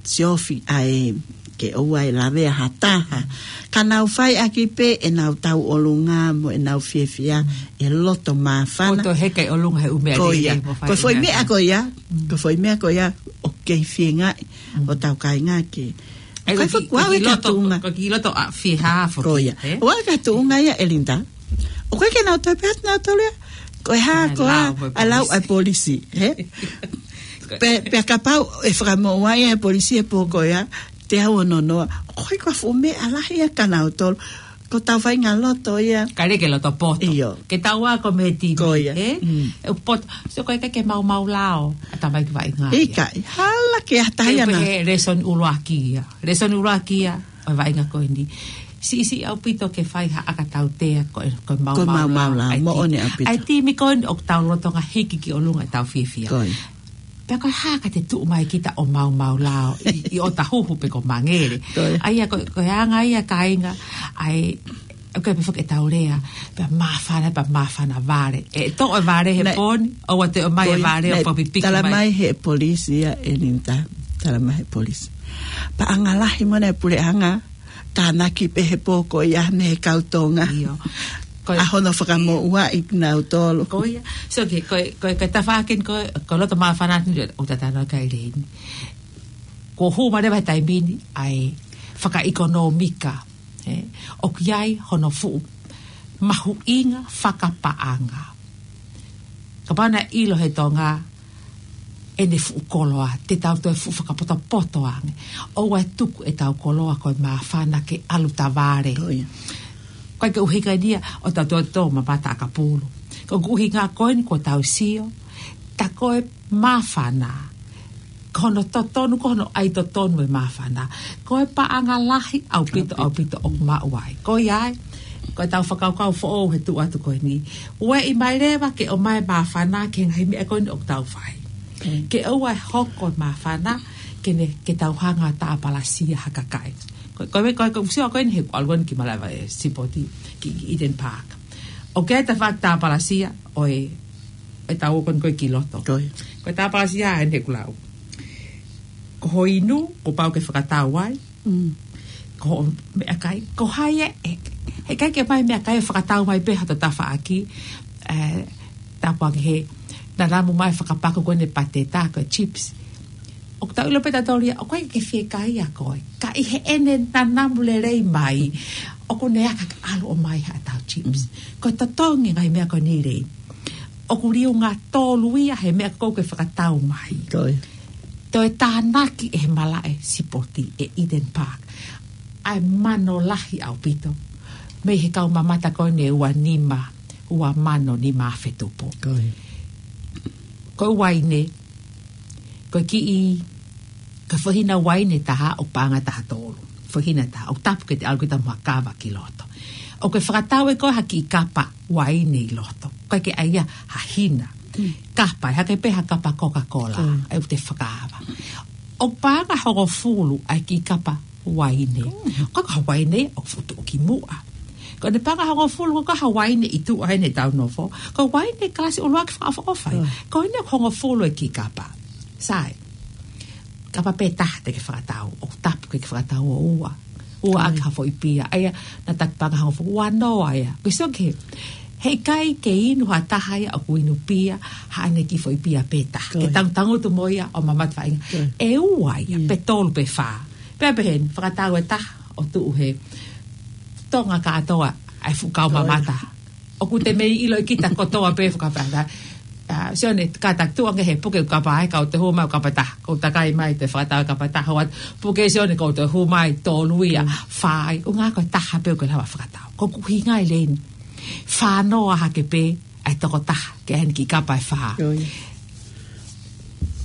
siofi ai ke ʻoua ʻe lavea ha taha. Ka nau fai ʻaki pē ʻenau tauʻolunga mo ʻenau fiefia, ʻi he loto māfana. Ko e toe heka ʻi ʻolunga he ʻū meʻa lelei mo fai. Ko ia. Ko e foʻi meʻa ko ia, ko e foʻi meʻa ko ia, ʻoku kei feingaʻi hotau kāinga ke ʻOku ʻikai ko e fakakuau ki e loto, katuʻunga. Ko e ki loto ʻa fihā foki, Ko ia. ʻE? ʻOku ʻikai katuʻunga ia ʻe Linda. ʻOku ʻikai ke nau toe pehē ʻenau tolu ia. Ko e hā ʻA e koā lau ʻa e lau ʻa e polisi, hē? Pe, pea kapau ʻe fakamoʻua ia ʻe he polisi he pō ko ia, te u ʻononoa. ʻOku ʻikai ko ha fuʻu meʻa lahi ia kia nautolu. Ko ʻetau faʻahinga loto ia. Kae ʻikai ke loto poto. ʻIo. Ke tau ako mei he T V, Ko ia. ʻE? Mm. ʻE poto. So ko e ʻikai ke maumau lao ʻa e tamaiki vaʻinga ia. ʻIkai, hala ke ʻatā ia Ke na. pehē lēsoni ʻuluaki ia. Lēsoni ʻuluaki ia ʻo e vaʻinga ko eni. Siʻisiʻi ʻaupito ke fai ha ʻakatautea ko e, ko e Ko e maumau maumau lao. lao, ʻa e moʻoni ti-, ʻaupito. ʻa e timi ko eni ʻoku tau lolotonga hiki ki ʻolunga ʻetau fiefia. Ko ia. Pea ko e hā ka te tuʻu mai kita ʻo maumau lao ʻi, ʻi ʻOtahuhu pe ko Mangere. Ko ia. ʻA ia ko, ko e anga ia kāinga, ʻa e, ʻoku ʻikai pē foki ʻetau lea, pea māfana, pea māfana vale. ʻE toʻo e vale he Naʻe pō ni, ʻoua toe ʻomai Ko e ia, vale ʻo naʻe papipiki tala mai. mai he polisi ia ʻe Linda, tala mai he polisi. Paʻanga lahi mo ʻene puleʻanga, tānaki pē he pō ko ia mei he kau Tonga. ʻIo. Ko e ʻA hono fakamoʻua ʻi nautolu. Ko ia. So ke, ko e, ko e, ko e tafaʻaki ko e, ko e loto māfana ni ʻoku tau talanoa ki ai leni. Kuo hū mai leva he taimi ni ʻa e fakaʻekonōmika, ʻe, ʻoku ʻi ai hono fuʻu mahuʻinga fakapaʻanga. Kapau naʻe ʻilo he Tonga ʻene fuʻu koloa, te tau toe fuʻu fakapotopoto ange. ʻOua ʻe tuku ʻetau koloa ko e māfana ke ʻalu tavale. Ko ia. ʻOku ʻikai ke ʻuhinga ia ʻo tau toe tō mamata ʻakapulu. Ko e ʻuhinga ko eni kuo tau sio, tā ko e māfana, ko hono totonu, ko hono ʻai totonu e māfana. Ko e paʻanga lahi ʻaupito, ʻAupito. ʻaupito ʻoku maʻu ai. Ko ia ai, ko ʻetau fakakaukau foʻou he tuʻu atu ko eni. Ueʻi mai leva ke ʻomai māfana ki he ngaahi meʻa ko eni ʻoku tau fai. Mm. Ke ʻoua ʻe hoko e māfana, ke ne, ke tau hanga tāpalasia ha kakai. Ko, ko e, ko e, ko e, sio ko eni he ʻalu ko eni ki Malaʻe Sipoti, ki, ki Eden Park. ʻOku ʻi ai e tafaʻaki tāpalasia ʻo e, ʻetau ō ko eni ko e ki loto. Ko ia. Ko e tāpalasia ʻeni ʻoku lau. Ko ho inu, kuo pau ke fakatau ai. Mm. Ko hoʻo meʻakai, ko hai ē, ʻe, heʻikai ke ʻomai meʻakai ʻo fakatau mai pē ha tafaʻaki, ʻe, tāpuaki he nanamu mai fakapaku ko eni e pateta, ko e chips. ʻOku tau ʻilo pē tautolu ia, ʻoku ʻikai ke fiekaia koe. Ka ʻi heʻene nanamu lelei mai, ʻoku ne aka ke ʻalu ʻomai haʻatau chips. Mm. Ko e totongi ngaahi meʻa ko eni lei. ʻOku liunga tolu ia he meʻa ko ē ʻoku ke fakatau mai. Ko ia. Toe tānaki ʻe he Malaʻe Sipoti ʻe Eden Park ʻa e mano lahi ʻaupito mei he kau mamata ko eni ʻe ua nima, ua mano nima afe tupu. Ko ia. Ko e uaine, ko e kiʻi, ko e foʻi hina uaine ʻe taha ʻoku paʻanga ʻe taha tolu. Foʻi hina ʻe taha, ʻoku tapu ke te ʻalu kita mo ha kava ki loto. ʻOku ke fakatau ʻe koe ha kiʻi kapa uaine ʻi loto. ʻOku ʻikai ke ʻai ia ha hina. Mm. Kapa, ʻe hake pē ha kapa Coca-Cola, Mm. ʻa ia ʻoku te fakaava. ʻOku paʻanga ʻe hongofulu ʻa e kiʻi kapa uaine. Mm. Ko e kapa uaine ʻoku fuʻu tuʻu ki muʻa. Ko ʻene paʻanga ʻe hongofulu, ko e kapa uaine ʻi tuʻa ʻeni ʻetau nofo. Ko e uaine kalasi ʻuluaki fakaʻofoʻofa ia. Mm. Ko ʻene hongofulu e kiʻi kapa. Sai. Kapa pē taha te ke fakatau, ʻoku tapu ke ke fakatau ʻo ua. Ua Mm. ʻaki ha foʻi pia, ʻa ia naʻa ta paʻanga ʻe hongofulu, ua noa ia. Ko e sio ki he, heʻikai ke inu ha taha ia ʻoku inu pia, haʻane kiʻi foʻi pia pē taha. Ko Ke ia. tangutangutu mo ia ʻo mamata faʻahinga. Mm. ʻE ua ia, Mm. pe tolu pe fā. Pea pehē ni, fakatau e taha, ʻo tuʻu he Tonga kātoa, ʻa e fuʻu kau Ko ia. mamata. ʻOku te mei ʻilo ʻe kita kotoa pē fakapata. ʻA, Sione, kātaki tuʻu ange he puke kapa ai, ka ʻoku te hū mai ʻo kapa taha. Ko e takai mai te fakatau kapa taha, ʻoua, puke Sione, ka ʻoku te hū mai tolu ia, Mm. fā ai, ʻuhinga ko e taha pē ʻoku ke lava fakatau. Ko e ʻuhinga ʻi leni. Fā noa hake pē, ʻa e toko taha, ki heʻene kiʻi kapa ʻe fā. Ko ia.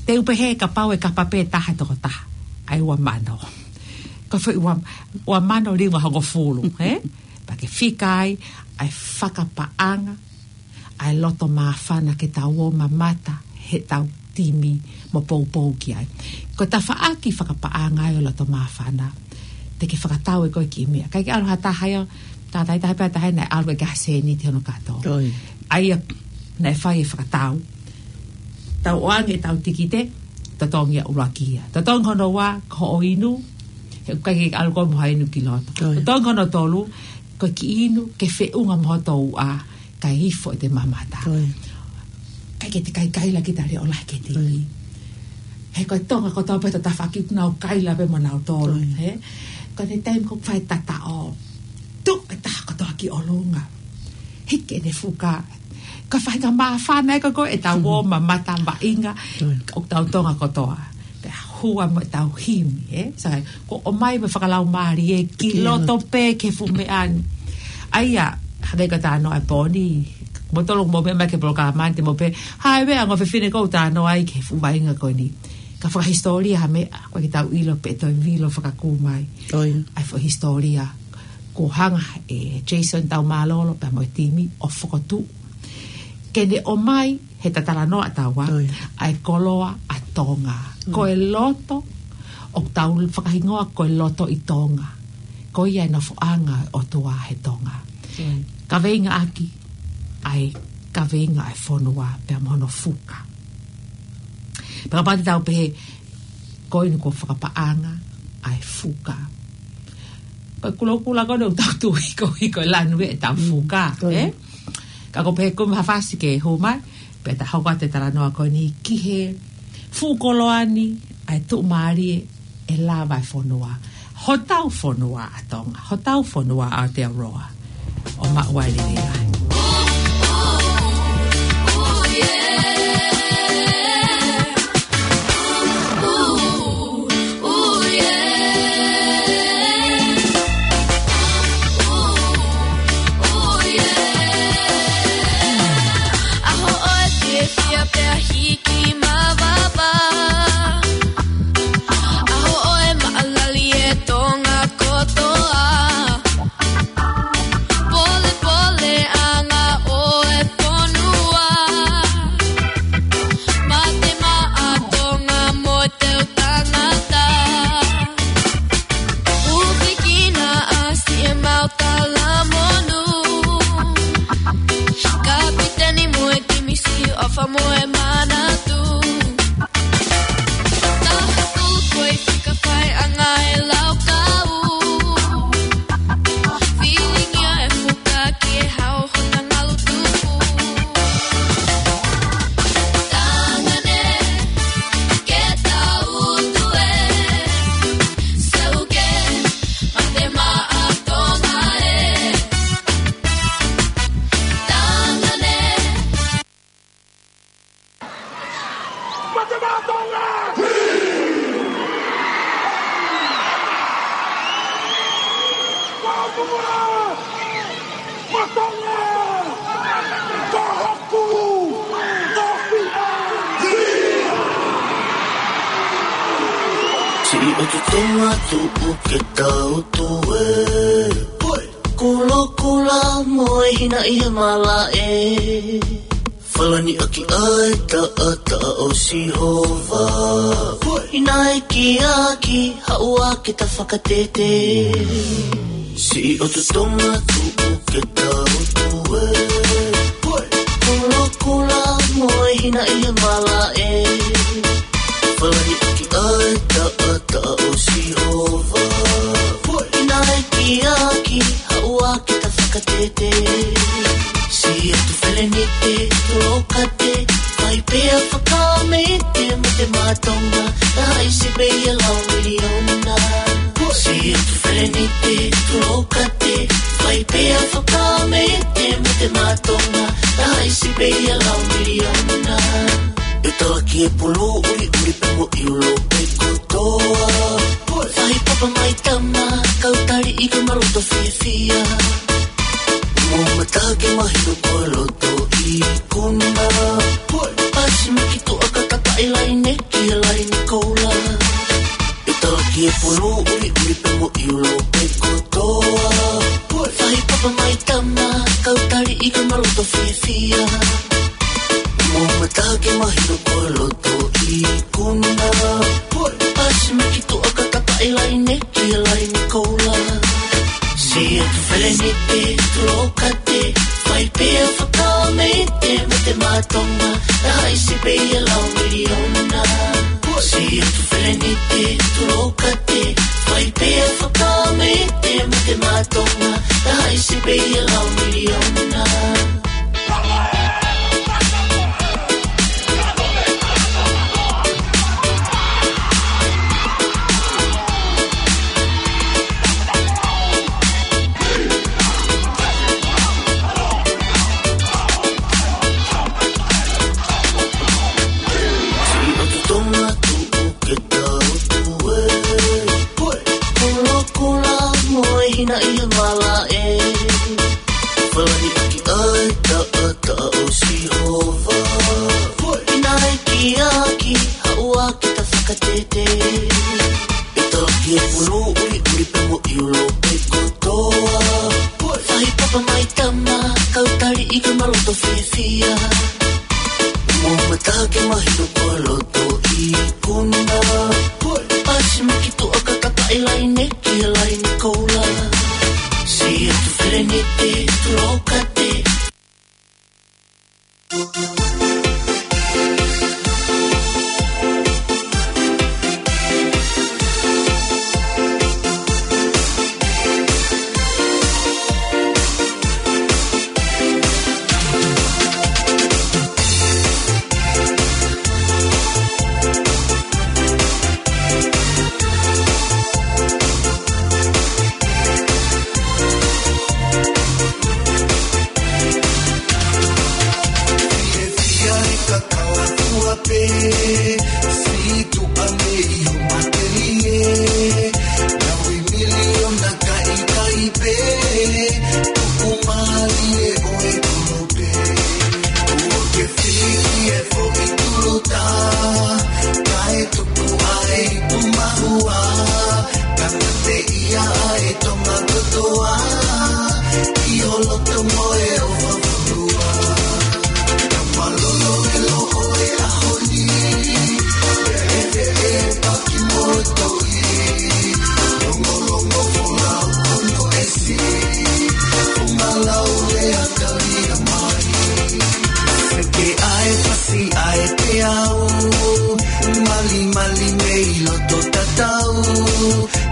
Te u pehē kapau ʻe kapa pē taha ʻe toko taha, ʻa e ua mano. Ko e foʻi ua, ua mano liunga hongofulu, ē? Pea ke fika ai, ʻa e fakapaʻanga, ʻa e loto māfana ke tau ō mamata, heʻetau timi mo poupou ki ai. Ko e tafaʻaki fakapaʻanga ʻo e loto māfana, te ke fakatau ʻe koe kiʻi meʻa. ʻIkai ke ʻalu ha taha ia, tātaitaha pē ha taha ia naʻe ʻalu ʻikai ke ʻi ai ha sēniti hono kātoa. Ko ia. ʻA ia, naʻe fai e fakatau. Tau ʻoange ʻetau tikite, totongi ia ʻuluaki ia. Totongi hono ua, ko hoʻo inu, he ʻoku ʻikai ke ʻalu koe mo ha inu ki loto. Ko ia. Totongi hono tolu, ko e kiʻi inu, ke feʻunga mo hoto uʻa, kae ifo ʻete mamata. Ko ia. ʻIkai ke te kaikaila kita leʻo lahi ke te Ko ia. He ko e Tonga kotoa pē he tafaʻaki ʻoku nau kaila pē mo nautolu, ʻio, he? Ko e taimi ko ē ʻoku fai e tataʻo, tuʻu e taha kotoa ki ʻolunga. Hiki ʻene fuka. Ka faʻahinga māfana ē ko ē ʻetau ō, mhm, mamata, vaʻinga, ʻio, ʻoku tau Tonga kotoa. Pea hū ai mo ʻetau himi, he? Sai, ko e ʻomai mo e fakalaumālie ki, ʻio, loto pē ki he fuʻu meʻa ni. ʻA ia, hangē ko e talanoa ʻa Poni, mou tolu mou meʻa mai ki he polokalama ni te mou pehē, ʻa e meʻa ʻa e ongo fefine ʻoku ou talanoa ai ki he fuʻu vaʻinga ko eni. Ka fakahisitōlia ha meʻa, ʻoku ʻikai ke tau ʻilo pe toe vilo fakakū mai. ʻIo. ʻA e fakahisitōlia, kuo hanga ʻe Jason Taumālolo pea mo e timi ʻo fokotuʻu ke ne ʻomai he talanoa ʻa taua, ʻio, ʻa e koloa ʻa Tonga. Mm. Ko e loto, ʻoku tau fakahingoa ko e loto ʻi Tonga. Ko ia e nofoʻanga ʻo e ʻOtua he Tonga. ʻIo. Kaveinga ʻaki ʻa e kaveinga ʻa e fonua pea mo hono fuka. Pea kapau te tau pehē, ko eni ko e fakapaʻanga ʻa e fuka. Ko e kulokula ko eni ʻoku tau tui ko ē ko e lanu ē ʻetau fuka, mm, ko ia, ē? Ka ʻoku ou pehē ko e maha fasi ke hū mai, pea ta hoko atu e talanoa ko eni ki he fuʻu koloa ni, ʻa e tuʻumālie ʻe lava e fonua. Hotau fonua ʻa Tonga, hotau fonua ʻa Aotearoa. ʻO maʻu ai lelei ai. ʻAho ʻoe fiefia pea hiki mavava. ʻAho ʻoe maʻalali e Tonga kotoa. Polepoleʻanga ʻo e fonua. Mate maʻa Tonga mo e teu tangata. Ufikina ʻa siʻemau talamonū. Kapiteni mo e timi Siʻofa mo e Manatu. Taha pulu ko e fika faiʻanga e laukau. Filingia e fuka ki he hao hota ngalu tupu. Tangane, ke tau tue. Sauke, mate maʻa Tonga ē. Tangane. Mate maʻa Tonga! Maʻa Tonga! Maʻa Tonga! Ko hoku tofiʻa! Siʻi ʻotu Tonga tuʻu ke tau tue. Kulokula mo e hinaʻi he malaʻe. Falani ʻaki ʻa e taʻataʻa ʻo Sihova. Hinaʻi ki ʻaki, haʻu ā ke ta fakatete. Siʻi ʻotu Tonga tuʻu ke tau tue. Kulokula mo e hinaʻi he malaʻe. Falani ʻaki ʻa e taʻataʻa ʻo Sihova. Hinaʻi ki ʻaki, haʻu ā ke ta fakatete. Siʻi ʻotu Felenite Tolokate, fai pē ʻa e fakaʻamu ʻi he mate maʻa Tonga, taha ʻi Sipeia lau miliona. Siʻi ʻotu Felenite Tolokate, fai pē ʻa e fakaʻamu ʻi he mate maʻa Tonga, taha ʻi Sipeia lau miliona. ʻE talaki e pulu ʻuliʻuli pea mo ʻIulope kotoa. Fahi papa mai tama, kau tali ʻi ka ma loto fiefia. Mo mata ke mahino ko e loto ikuna. Pasi miki tuʻa ka tapaʻi laine ki he laine koula. ʻE talaki e pulu ʻuliʻuli pea mo ʻIulope kotoa. Fahi papa mai tama, kau tali ʻi ka ma loto fiefia. Mo mata ke mahino ko e loto ikuna. Pasi miki tuʻa ka tapaʻi laine ki he laine koula. Siʻi ʻotu Felenite Tolokate, fai pē ʻa e fakaʻamu ʻi he mate maʻa Tonga, taha ʻi Sipeia lau miliona. Siʻi ʻotu Felenite Tolokate, fai pē ʻa e fakaʻamu ʻi he mate maʻa Tonga, taha ʻi Sipeia lau miliona. Ka ke mahino ko loto ikuna. Pasi miki tuʻa ka kakaʻi laine ki he laine koula. Siʻi atu felenite tulou kate. Fiefia e kakala fua pē, siʻi tuʻa mei ho matelie. Naʻe ui miliona kakai pē, tuku mālie ʻo e kolo pē. Kuo ke fiki e foʻi tuluta, kae tuku ai pu mahua, ka mate ia ai Tonga kotoa, ʻi ho loto mo e ʻofa fonua. Ka malolo e loʻo e ʻaho ni, pea ʻeveʻeva ki moto i, longolongo folau ono esi, funga lau lea talia mai. Seke ʻa e fasi ʻa e peau, malimali mei loto tatau,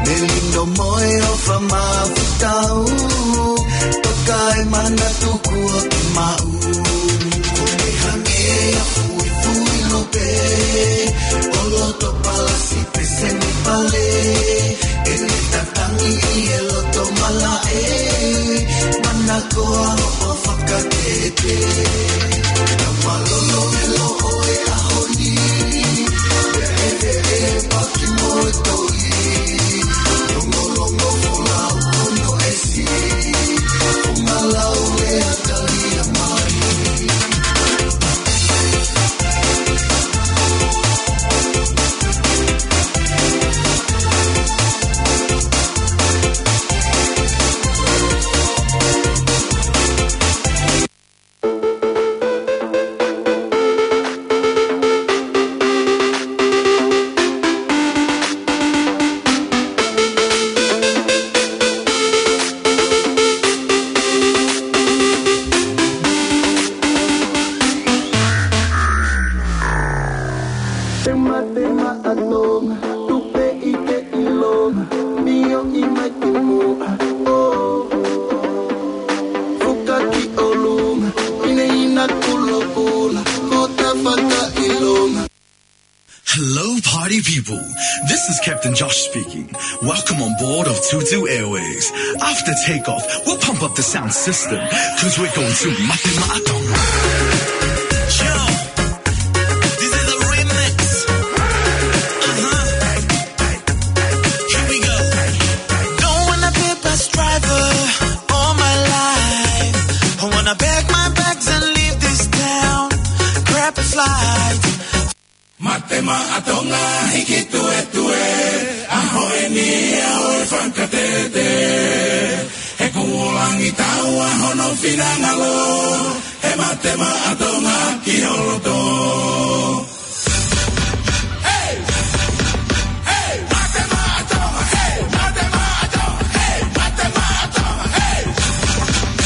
melino mo e ʻofa mafutau, toka e manatu kuo ke maʻu. Ko e hangē ia fuifui lupe, ʻo loto palasi peseni pale, ʻene tatangi ʻi he loto malaʻe, manakoa hoʻo fakatete. Ka malolo e loʻo e ʻaho ni, pea ʻeveʻeva ki moto i, longolongo folau ono esi, funga lau lea talia mai. Tema, tema ʻa Tonga, tupe ʻi ke ʻilonga, mio i mai ki muʻa, oh. Fuka ki ʻolunga, ina ina kulokula, ko ta fakaʻilonga. Hello, party people. This is Captain Josh speaking. Welcome on board of Tutu Airways. After takeoff, we'll pump up the sound system, 'cause we're going to Mate Maʻa Tonga. Yo, this is a remix. Uh-huh. Here we go. Don't wanna be a bus driver all my life. I wanna pack my bags and leave this town. Grab a flight. Mate Maʻa Tonga, hiki tuetue, ʻaho eni ʻaho e fakatete. He kuo langi taua hono finangalo, he Mate Maʻa Tonga ki ho loto. Hey! Hey! Mate Maʻa Tonga, hey! Mate Maʻa Tonga, hey! Mate Maʻa Tonga, hey!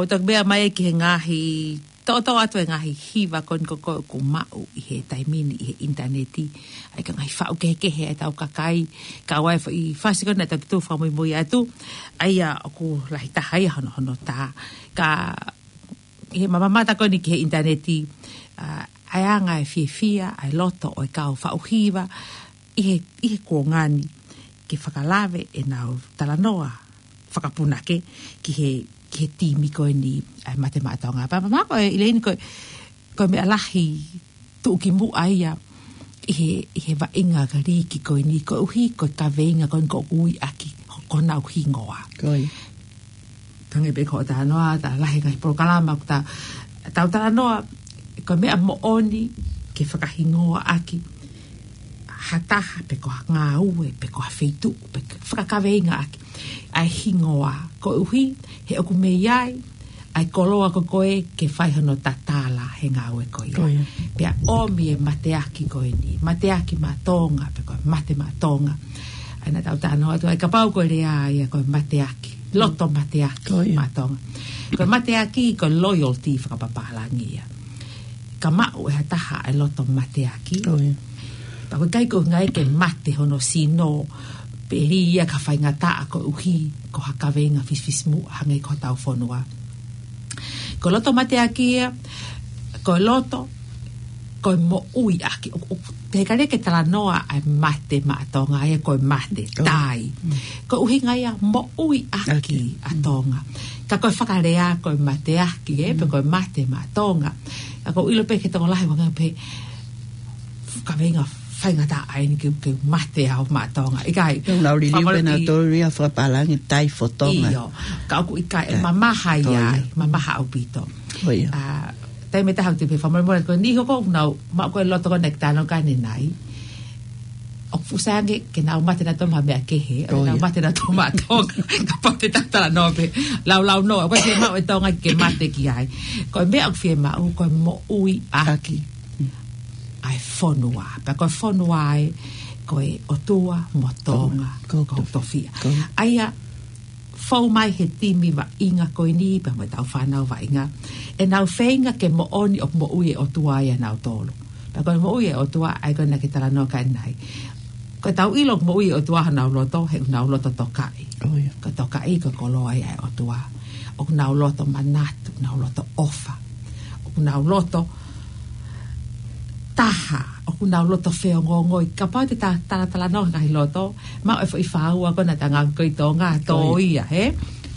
ʻOku toki meʻa mai ki he ngaahi, toʻotoʻo atu e ngaahi hiva ko eni ko ē ʻoku maʻu ʻi he taimi ni ʻi he ʻinitaneti. ʻA ia ko e ngaahi faʻu kehekehe ʻa e tau kakai, ka ʻoku ʻi ai e foʻi fasi ko ena ʻe toki tuʻu fakamuimui atu. ʻA ia ʻoku lahi taha ia hono, hono tā. Ka ʻi he mamata ko eni ki he ʻinitaneti, ʻa, ʻa e anga e fiefia ʻa e loto ʻo e kau faʻu hiva ʻi he, ʻi he kuonga ni ke fakalave ʻenau talanoa fakapunake ki he, ki he timi ko eni ʻa e Mate Maʻa Tonga. Pea mamata ko ē ʻi he ʻaho ni ko e, ko e meʻa lahi tuʻukimuʻa ia ʻi he, ʻi he vaʻinga ka liiki ko eni koeʻuhi ko e kaveinga ko eni ʻoku ui ʻaki ko honau hingoa. Ko ia. Hangē pē ko e talanoa, tā lahi e ngaahi polokalama, ko e tā, tau talanoa, ko e meʻa moʻoni ke fakahingoa ʻaki ha taha, pe ko ha ngāue, pe ko ha feituʻu, pe ke fakakaveinga ʻaki ʻa e hingoa, koeʻuhi he ʻoku mei ai ʻa e koloa ko ē ke fai hono tatala he ngāue ko ia. Ko ia. Pea ʻomi e mateaki ko eni, Mateaki Maʻa Tonga, pe ko e Mate Maʻa Tonga. ʻA ia naʻa tau talanoa atu ai, kapau ko e lea ia ko e mateaki, loto mateaki. Ko ia. Maʻa Tonga. Ko e mateaki ko e loyalty fakapapālangi ia. Ka maʻu ʻe ha taha e loto mateaki. Ko ia. Pea ʻoku ʻikai ko e ʻuhinga ia ke mate hono sino, pe lī ia ka faingataʻa koeʻuhi ko ha kaveinga fisifisimuʻa hangē ko hotau fonua. Ko e loto mateaki ia, ko e loto, ko e moʻui ʻaki. ʻO, ʻo, te ka leke talanoa ʻa e Mate Maʻa Tonga, ia ko e mate, ko ia. Tai. Mm. Ko e ʻuhinga ia moʻui ʻaki. ʻAki. ʻA Tonga. Ka ko e fakalea ko e mateaki, ē, pe Mm. ko e Mate Maʻa Tonga. Ka ʻoku ou ʻilo pē ki he tokolahi ʻoku ngali pē kaveinga faingataʻa eni ke, ke mate au maʻa Tonga. ʻIkai. Te u nau liliu pē nautolu ia fakapālangi tai fo Tonga. ʻIo. Ka ʻoku ʻikai, ʻe mamaha ia. Ko ia. Mamaha ʻaupito. Ko ia. ʻA, taimi ʻe taha ʻoku te pehē fakamolemole ko e niʻihi ko ē ʻoku nau maʻu ko ē loto ko ena ʻoku tau talanoa ki ai ʻanenai. ʻOku fuʻu sai ange ke nau mate nautolu maʻa ha meʻa kehe, ʻo Ko ia. nau mate nautolu maʻa Tonga, kapau te tau talanoa pē, laulau noa, ʻoku ʻikai ke maʻu e Tonga ke mate ki ai. Ko e meʻa ʻoku fiemaʻu, ko e moʻui ʻaki. ʻAki. ʻA e fonua. Pea ko e fonua ē, ko e ʻOtua mo Tonga, Tonga. Ko, ko, ko tofiʻa. Ko. ʻA ia, fou mai he timi vaʻinga ko eni, pea mo ʻetau fānau vaʻinga. ʻEnau feinga ke moʻoni ʻoku moʻui e ʻOtua ʻia nautolu. Pea ko e moʻui e ʻOtua, ʻa ia ko ena ʻoku ke talanoa ki ai ʻanenai. Ko ʻetau ʻilo ʻoku moʻui e ʻOtua ʻi honau loto, he ʻoku nau loto tokaʻi. ʻO ia. Ko e tokaʻi, ko e koloa ia ʻa e ʻOtua. ʻOku nau loto manatu, nau loto ʻofa. ʻOku nau loto taha, ʻoku nau loto feongoongoi. Kapau te ta, talatalanoa ki he ngaahi loto, maʻu e foʻi fāua ko ena ʻa e ngaahi ko ē ʻi Tonga, tō Ko ia. ia, hē?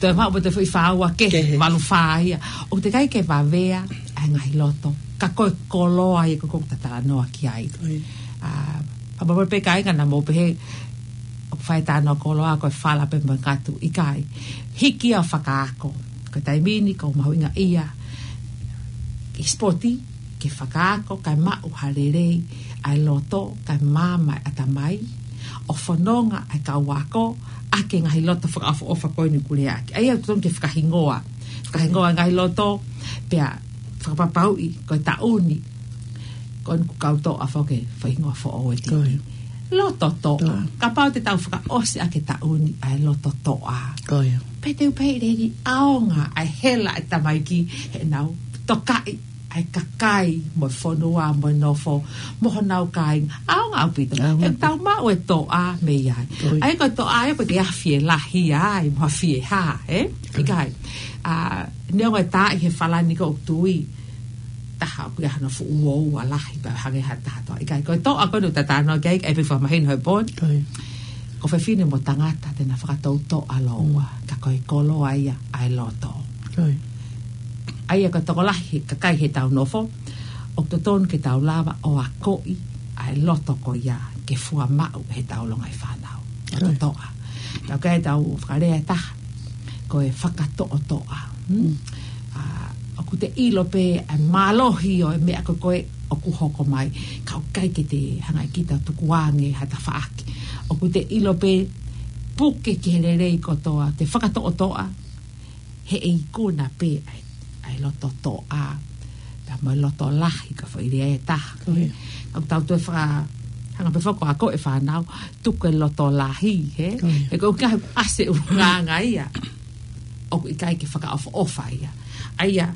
Toe maʻu pē toe foʻi fāua kehe, Kehe. valu fā ia. ʻOku teʻeki ai ke vavea ʻa e ngaahi loto. Ka ko e koloa ia ko ē ʻoku ta talanoa ki ai. Ko ia. ʻA, pea mo e pē kāinga naʻa mou pehē, ʻoku fai e talanoa koloa ko e fala pē mo e ngatu, ʻikai. Hiki ia ʻo fakaako. Ko e taimi ni ʻoku mahuʻinga ia ʻi he sipoti, ke fakaako, kae maʻu ha lelei ʻa e loto, kae maama e ʻatamai, ʻo fononga ʻa e kau ako ʻaki e ngaahi loto fakaʻofoʻofa ko eni ʻoku lea ʻaki. ʻA ia ʻoku totonu ke fakahingoa. Fakahingoa e ngaahi loto, pea fakapapauʻi, ko e taʻu ni, ko eni ʻoku kau toʻa foki e faʻahinga foʻou e tiki. Ko ia. Loto toʻa. Toʻa. Kapau te tau fakaʻosi ʻaki e taʻu ni ʻa e loto toʻa. Ko ia. Pea te u pehē lelei ʻaonga ʻa e hela ʻa e tamaiki heʻenau tokaʻi ʻa e kakai mo e fonua mo e nofo mo honau kāinga. ʻAonga ʻaupito. ʻAonga ʻaupito. He tau maʻu e toʻa mei ai. Ko ia. ʻA ia ko e toʻa ia ʻoku ʻikai ke afi e lahi ai, mo afi e hā, ē? Ko ia. ʻIkai. ʻA, neongo e tā ʻi he fala ni ʻoku ou tui, taha ʻoku ʻi ai hano fuʻu uoua lahi pea hangē ha taha toʻa. ʻIkai, ko e toʻa ko eni ʻoku ta talanoa ki ai, ʻe pē fakamahino he pō ni. Ko ia. Ko fefine mo tangata te na fakatoutoʻa lōua, Mm. ka ko e koloa ia ʻa e loto. Ko ia. ʻA ia ko e tokolahi kakai heʻetau nofo, ʻoku totonu ke tau lava ʻo akoʻi ʻa e loto ko ia ke fua maʻu heʻetau longaʻi fānau. Loto Ko ia. toʻa. Tau kai tau fakalea ʻe taha, ko e fakatoʻotoʻa. Hmm? Mm. ʻA, ʻoku te ʻilo pē ʻa e mālohi ʻo e meʻa ko ē ʻoku hoko mai. Ka ʻoku ʻikai ke te hanga ʻe kita ʻo tukuange ha tafaʻaki. ʻOku te ʻilo pē puke ki he lelei kotoa, te fakatoʻotoʻa, he ʻe ikuna pē ʻa e, ʻa e loto toʻa, pea mo e loto lahi, ko e foʻi lea ʻe taha. Ko ia. ʻOku tau toe faka-, hanga pē foki ʻo akoʻi e fānau, tuku e loto lahi, hē? Ko ia. He ko e ʻuhinga he ʻasi e ʻulungaanga ia. ʻOku ʻikai ke fakaʻofoʻofa ia. ʻA ia,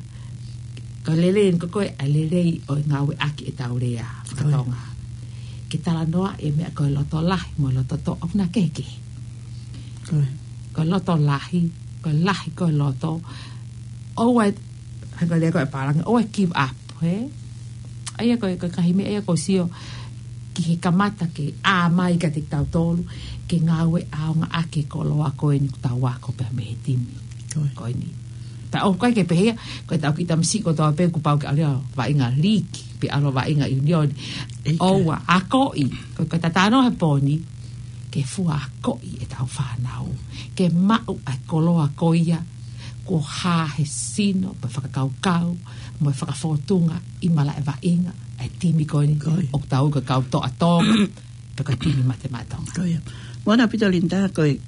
ko e lelei eni ko ē, ʻa e lelei ʻo e ngāueʻaki ʻetau lea fakatonga. Ke talanoa e meʻa ko e loto lahi mo e loto toʻa, ʻoku na kehekehe. Ko e loto lahi, ko e lahi ko e loto. ʻOua ʻe, hangē ko e lea ko ē ʻa e pālangi, ʻoua ʻe give up, hē? ʻA ia ko e, ko e ngaahi meʻa ia ʻoku ou sio ki he kamata ke ʻā mai kiate kitautolu, ke ngāue ʻaonga ʻaki e koloa ko eni ʻoku tau ako pē mei he timi. Ko eni. Pea ʻoku ʻikai ke pehē ia, ko ʻetau kiʻi tamasiʻi kotoa pē kuo pau ke ʻalu ʻo vaʻinga liiki, pe ʻalu ʻo vaʻinga ʻiunioni. ʻOua, akoʻi, ko e, ko e talanoa he pō ni, ke fua akoʻi ʻetau fānau, ke maʻu ʻa e koloa ko ia, kuo hā he sino, mo e fakakaukau, mo e fakafōtunga ʻi malaʻe vaʻinga ʻa e timi ko eni, ʻoku tau ui ko e kau toʻa Tonga, pe ko e timi Mate Maʻa Tonga. Ko ia. Moʻoni ʻaupito Linda, ko e,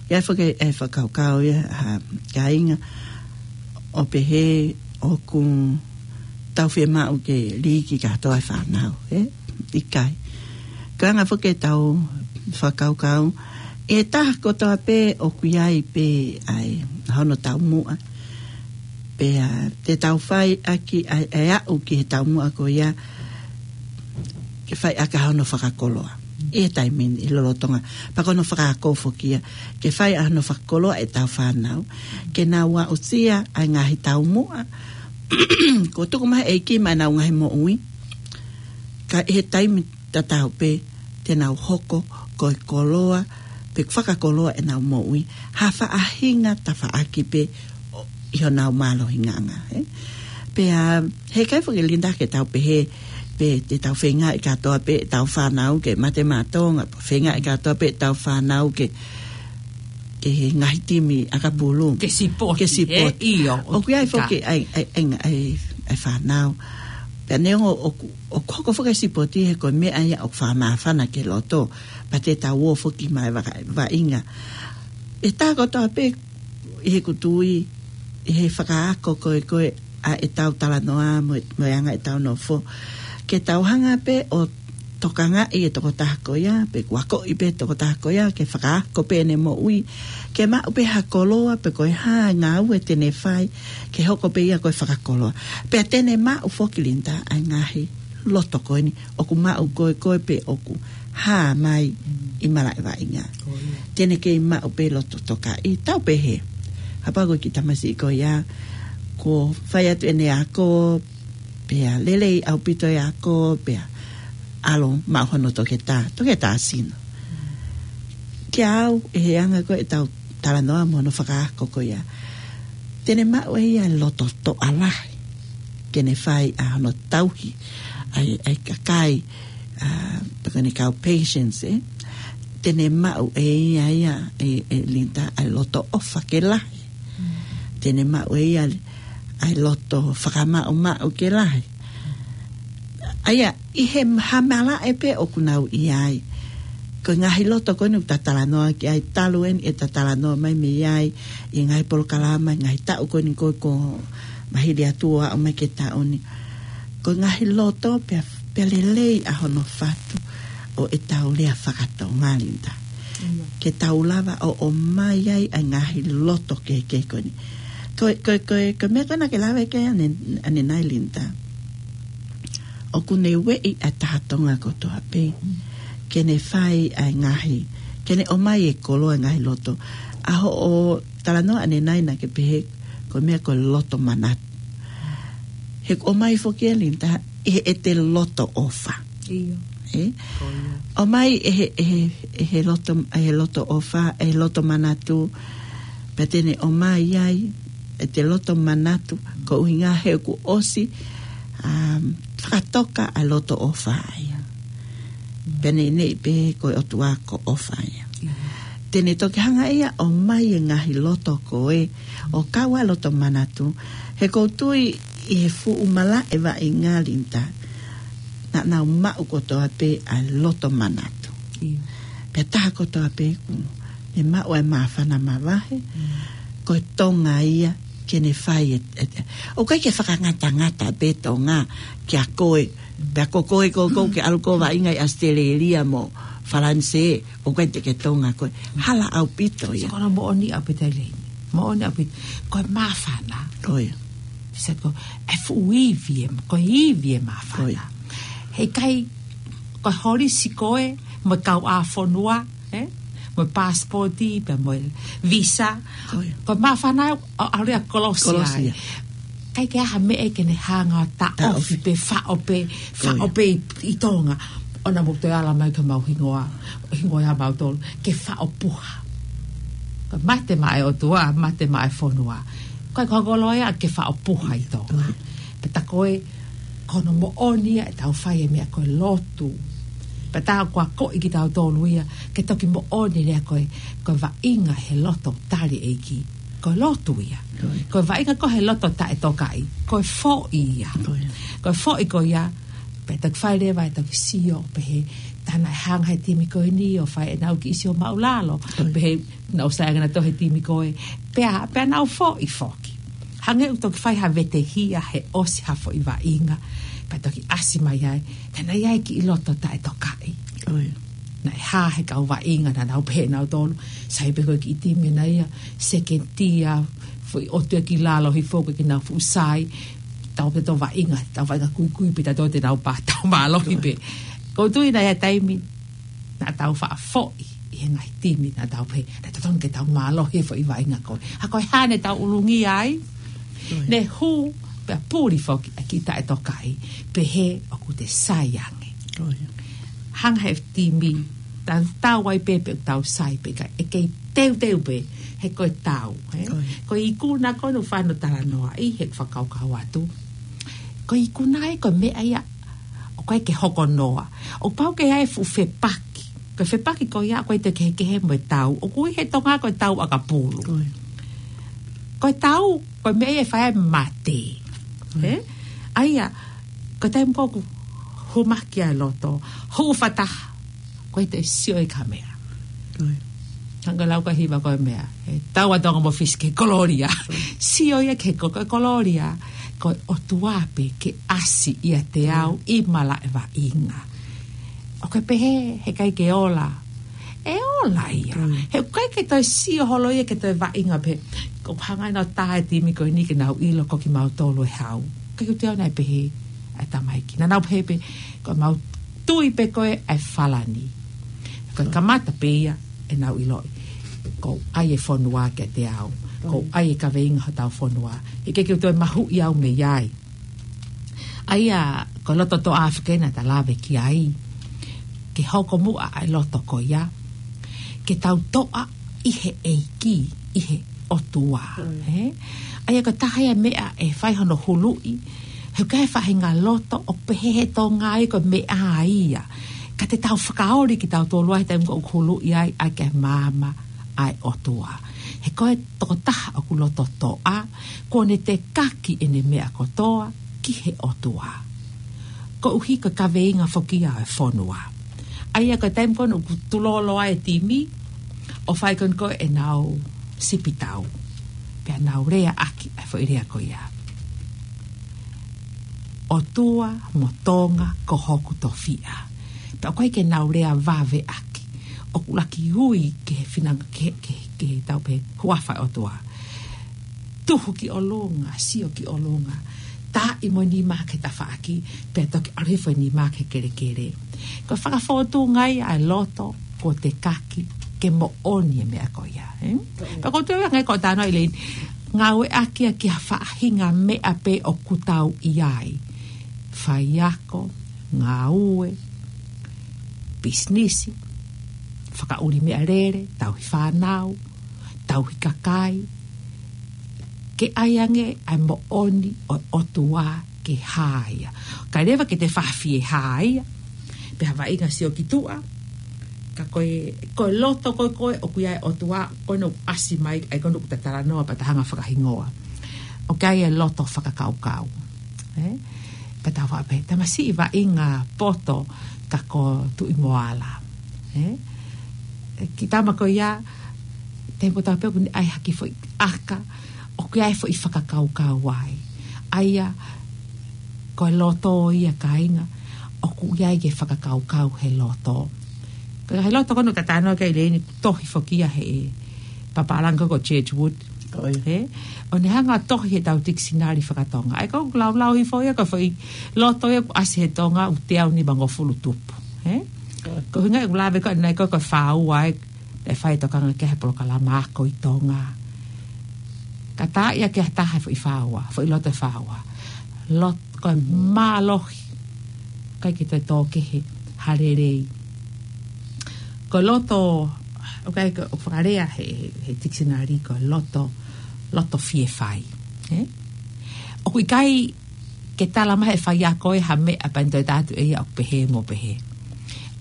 ʻi ai foki e fakakaukau ia, ha, kāinga, ʻo pehē ʻoku tau fiemaʻu ke liiki kātoa e fānau, ē? ʻIkai. Ko e anga foki ʻetau fakakaukau, ʻi he taha kotoa pē ʻoku ʻi ai pē ʻa e hono taumuʻa. Pea te tau fai ʻaki ʻa e, ʻa e aʻu ki he taumuʻa ko ia, ke fai ʻaki hono fakakoloa. ʻI he taimi ni, ʻi lolotonga. Pea ko hono fakaako foki ia, ke fai ʻa hono fakakoloa ʻetau fānau, ke nau aʻusia ʻa e ngaahi taumuʻa kuo tuku mai ʻe he ʻEiki maʻa ʻenau ngaahi moʻui. Ka ʻi he taimi tatau pē, te nau hoko ko e koloa, pe fakakoloa ʻenau moʻui ha faʻahinga tafaʻaki pē ʻo, ʻi honau mālohinga, ē? Pea, heʻikai foki Linda ke tau pehē, pe te tau feingaʻi kātoa pē ʻetau fānau ke Mate Maʻa Tonga, pe feingaʻi kātoa pē ʻetau fānau ke, ke he ngaahi timi ʻakapulu. Ke sipoti, ke sipoti, ē? ʻIo, ʻoku ʻi ai foki ʻa e, ʻa e, ʻa e, ʻa e fānau. Pea neongo ʻoku, ʻoku hoko foki e sipoti he ko e meʻa ia ʻoku fakamāfana ki he loto, pea te tau ō foki mai vaka-, vaʻinga. ʻI he taha kotoa pē, ʻi heʻeku tui, ʻi he fakaako ko ē ko ē ʻa ʻetau talanoa mo e, mo e anga ʻetau nofo, ke tau hanga pē ʻo tokangaʻi e tokotaha ko ia, pe kuo akoʻi pē e tokotaha ko ia ke fakaako pē ʻene moʻui, ke maʻu pē ha koloa, pe ko e hā e ngāue te ne fai, ke hoko pē ia ko e fakakoloa. Pea te ne maʻu foki Linda ʻa e ngaahi loto ko eni ʻoku maʻu ko ē ko ē pe ʻoku hā mai ʻi malaʻe vaʻinga. Te ne kei maʻu pē loto tokaʻi, tau pehē. Kapau ko e kiʻi tamasiʻi ko ia, kuo fai atu ʻene ako, pea lelei ʻaupito e ako, pea ʻalu ʻo maʻu hono toketā, toketā sino. Kiate au, ʻi he anga ko ē ʻetau talanoa mo hono fakaako ko ia, te ne maʻu ʻe ia e loto toʻa lahi ke ne fai ʻa hono tauhi ʻa e, ʻa e kakai, ʻa, pe ko ʻene kau patients, ē? Te ne maʻu ʻe ia ia, ē, ē Linda, ʻa e loto ʻofa ke lahi. Te ne maʻu ʻe ia ʻa e loto fakamaʻumaʻu ke lahi. ʻA ia, ʻi he ha malaʻe pē ʻoku nau ʻi ai. Ko e ngaahi loto ko eni ʻoku ta talanoa ki ai talu eni ʻeta talanoa mai mei ai ʻi he ngaahi polokalama, ngaahi taʻu ko eni ko ē kuo mahili atu ʻo aʻu mai ki he taʻu ni. Ko e ngaahi loto pea, pea lelei ʻa hono fatu ʻo ʻetau lea fakatonga, Linda. Ke tau lava ʻo, ʻomai ai ʻa e ngaahi loto kehekehe ko eni. Ko, ko, ko, ko e meʻa ko ē naʻa ke lave ki ai ʻane-, ʻanenai, Linda. ʻOku ne ueʻi ʻa e taha Tonga kotoa pē ke ne fai ʻa e ngaahi, ke ne ʻomai e koloa e ngaahi loto. ʻA hoʻo talanoa ʻanenai naʻa ke pehē ko e meʻa ko e loto manatu. He ʻoku ʻomai foki ʻe Linda ʻi heʻete loto ʻofa. ʻIo. Ē? Ko ia. ʻOmai ʻe he, ʻe he, ʻe he loto, ʻe he loto ʻofa, ʻe he loto manatu, pea te ne ʻomai ai ʻete loto manatu, ko e ʻuhinga he kuo ʻosi, um, fakatoka ʻa e loto ʻofa ia. Pea neʻineʻi pē ko e ʻOtua ko e ʻofa ia. Te ne toki hanga ia ʻo ʻomai e ngaahi loto ko ē, ʻo kau ai e loto manatu, he ʻoku ou tui ʻi he fuʻu malaʻe vaʻinga, Linda, naʻa nau maʻu kotoa pē ʻa e loto manatu. ʻIo. Pea taha kotoa pē kuo ne maʻu ʻa e māfana mavahe, ko e Tonga ia ke ne fai e, e, e. ʻOku ʻikai ke fakangatangata pē Tonga kia koe, pea ko koe ko ē ʻoku ke ʻalu ʻo vaʻinga ʻi ʻAositelēlia mo Falanisē, ʻoku ʻikai te ke Tonga koe. Hala ʻaupito ia. Ko hono moʻoni ʻaupito ia. Moʻoni ʻaupito. Ko e māfana. Ko ia. Sai, ko e fuʻu ivi ē, ko e ivi ē māfana. Ko ia. He ʻikai ko e holisi ko ē mo e kauʻāfonua, ē? Mo e passport pea mo e visa. Ko ia. Ko e māfana ʻo, ʻo ʻalu ia ʻo kolosi ai. Kolosi ai. ʻIkai ke ʻi ai ha meʻa ke ne hanga ʻo taʻofi. Taʻofi. Pe faʻo pē, faʻo pē ʻi, ʻi Tonga. ʻOua naʻa mou toe ala mai ki homau hingoa, hingoa ʻa mautolu, ke faʻo puha. Ko e mate maʻa e ʻOtua, mate maʻa e fonua. Ko e koloa ia ke faʻo puha ʻi Tonga. Pea tā ko e, ko hono moʻoni ia ʻetau fai e meʻa ko e lotu. Pea tā ko e akoʻi kitautolu ia, ke toki moʻoni leva ko e, ko e vaʻinga he loto tali ʻEiki. Ko e lotu ia. Ko e vaʻinga ko ē he loto taʻetokaʻi. Ko e foʻi ia. Ko e foʻi ko ia, pea toki fai leva e toki sio, pehē tā naʻe hanga he timi ko eni ʻo fai ʻenau kiʻi sio māʻulalo. Pehē naʻa nau sai ange nautolu he timi ko ē. Pea, pea nau foʻi foki. Hangē ʻoku toki fai ha vetehia he ʻosi ha foʻi vaʻinga. Pea toki ʻasi mai ai. Tā naʻe ʻi ai e kiʻi loto taʻetokaʻi. Naʻe hā he kau vaʻinga naʻa nau pehē nautolu. Sai pē ko e kiʻi timi ʻena ia. Seketia, foʻi ʻotu ia ki lalo hifo ko e kiʻi nau fuʻu sai. Tau pē tau vaʻinga, tau vaʻinga kuikui pē tautolu te nau pā tau mālohi pē. ʻOku ou tui naʻe ʻi ai e taimi naʻa tau faʻa foʻi ʻi he ngaahi timi naʻa tau pehē, naʻe totonu ke tau mālohi he foʻi vaʻinga ko ē. Ka ko e hā naʻa tau ʻulungia ai, ne hū pea puli foki ʻa e kiʻi taʻetokaʻi, pehē ʻoku te sai ange. Hanga he timi, tau tau ai pē pe ʻoku tau sai pe ʻikai, ʻe kei teuteu pē, he ko e tau, ē? Ko e ikuna ko ē naʻa ku fai hono talanoaʻi, he fakakaukau atu. Ko e ikuna ia ko e meʻa ia ʻoku ʻikai ke hoko noa. ʻOku pau ke ʻi ai e fuʻu fepaki. Ko e fepaki ko ia ʻoku ʻikai te kehekehe mo e tau. ʻOku ui he Tonga ko e tau ʻakapulu. Ko e tau, ko e meʻa ia ʻe fai ai e mate. Ē? ʻA ia, ko e taimi ko ē ʻoku hū mai ki ai e loto, hū fakataha, ʻoku ʻikai te sio ia ki ha meʻa. Hangē ko e lau ko ē ʻa e hiva ko e meʻa, ʻe tau ʻa Tonga mo Fisi ki he kololia. Sio ia ki he ko-, ko e kololia, ko e ʻOtua pē ke ʻasi ʻiate au ʻi malaʻe vaʻinga. ʻOku ke pehē, he ʻikai ke ola. ʻE ola ia. He ʻoku ʻikai ke toe sio holo ia ki he toe vaʻinga pē. ʻOku hanga ʻe he timi ko eni ke nau ʻilo ko kimautolu e hau. ʻIkai ke toe naʻe pehē ʻa e tamaiki. Naʻa nau pehē pē, ko ʻemau tui pē ko ē ʻa e falani. Ko e kamata pē ia ʻenau ʻiloʻi. ʻOku ʻi ai e fonua kiate au. ʻOku ʻi ai e kaveinga hotau fonua. ʻIkai ke toe mahuʻi au mei ai. ʻA ia, ko e loto toʻa foki ena naʻa ta lave ki ai. Ke hoko muʻa ʻa e loto ko ia. Ke tau toʻa ʻi he ʻEiki, ʻi he ʻOtua. Ē? ʻA ia ko e taha ia e meʻa ʻe fai hono huluʻi. He ʻoku ʻi ai e faʻahinga loto ʻoku pehē he Tonga ia ko e meʻa ia. Ka te tau fakaoli kitautolu ai he taimi ko ē ʻoku huluʻi ai, ʻa e ke maama ʻa e ʻOtua. He ko e tokotaha ʻoku loto toʻa, kuo ne tekaki ʻene meʻa kotoa ki he ʻOtua. Koeʻuhi ko e kaveinga foki ia ʻo e fonua. ʻA ia ko e taimi ko ē ʻoku tulolo ai e timi, ʻo fai ko eni ko ē ʻenau sipitau. Pea nau leaʻaki ʻa e foʻi lea ko ia. ʻOtua mo Tonga ko hoku tofiʻa. Pea ʻoku ʻikai ke nau lea vaveʻaki. ʻOku laki ui ki he finanga, ki he, ki he, ki he tau pē huafa ʻo e ʻOtua. Tuhu ki ʻolunga, sio ki ʻolunga. Taaʻi mo e nima ki he tafaʻaki, pea toki ʻalu hifo e nima ki he kelekele. Ko e fakafōtunga ia ʻa e loto, kuo tekaki, ke moʻoni e meʻa ko ia, ē? Pea ʻoku ou tui au hangē ko e talanoa ʻa ʻIleni. Ngāueʻaki ia ki ha faʻahinga meʻa pē ʻoku tau ʻi ai. Faiako, ngāue, pisinisi, fakaʻuli meʻalele, tauhi fānau, tauhi kakai, ke ʻai ange ʻa e moʻoni ʻo e ʻOtua ke hā ia. ʻIkai leva ke te fafie hā ia, pe ha vaʻinga sio ki tuʻa, ka ko e, ko e loto ko ē ko ē ʻoku ʻi ai e ʻOtua, ko ena ʻoku ʻasi mai, ʻa ia ko ena ʻoku ta talanoa pea ta hanga fakahingoa. ʻOku ʻi ai e loto fakakaukau. Ē? Pea tau faʻa pehē, tamasiʻi vaʻinga poto ka ko Tuʻi Moala. Ē? Kiʻi tama ko ia, taimi ko ē tau pehē ʻoku ne ʻai ha kiʻi foʻi ʻaka, ʻoku ʻi ai e foʻi fakakaukau ai. ʻA ia, ko e loto ia kāinga, ʻoku ʻi ai e fakakaukau he loto. Ko e loto ko ena ʻoku ta talanoa ki ai ʻi he ʻEiki, tohi foki ia he papālangi ko Churchwood. Ko ia. Ē? ʻO ne hanga ʻo tohi heʻetau tikisinali fakatonga. ʻA ia ko e laulau hifo ia ko e foʻi loto ia kuo ʻasi he Tonga ʻoku teau nimangofulu tupu. Ē? Ko ia. Ko e ʻuhinga ʻeku lave ko ē ʻanenai ko e, ko e fāua ē, ʻe fai e tokanga ki ai he polokalama Ako ʻi Tonga. Ka tā ia ki ha taha e foʻi fāua, foʻi loto ʻe fāua. Lot-, ko e mālohi. ʻIkai ke toe tō kehe ha lelei. Ko e loto, ʻoku ʻikai ke, ʻoku fakalea he, he, he tikisinali ko e loto, loto fiefai. Ē? ʻOku ʻikai ke tala mai he faiako ʻe ha meʻa pea ne toe tā atu ʻe ia ʻoku pehē mo pehē.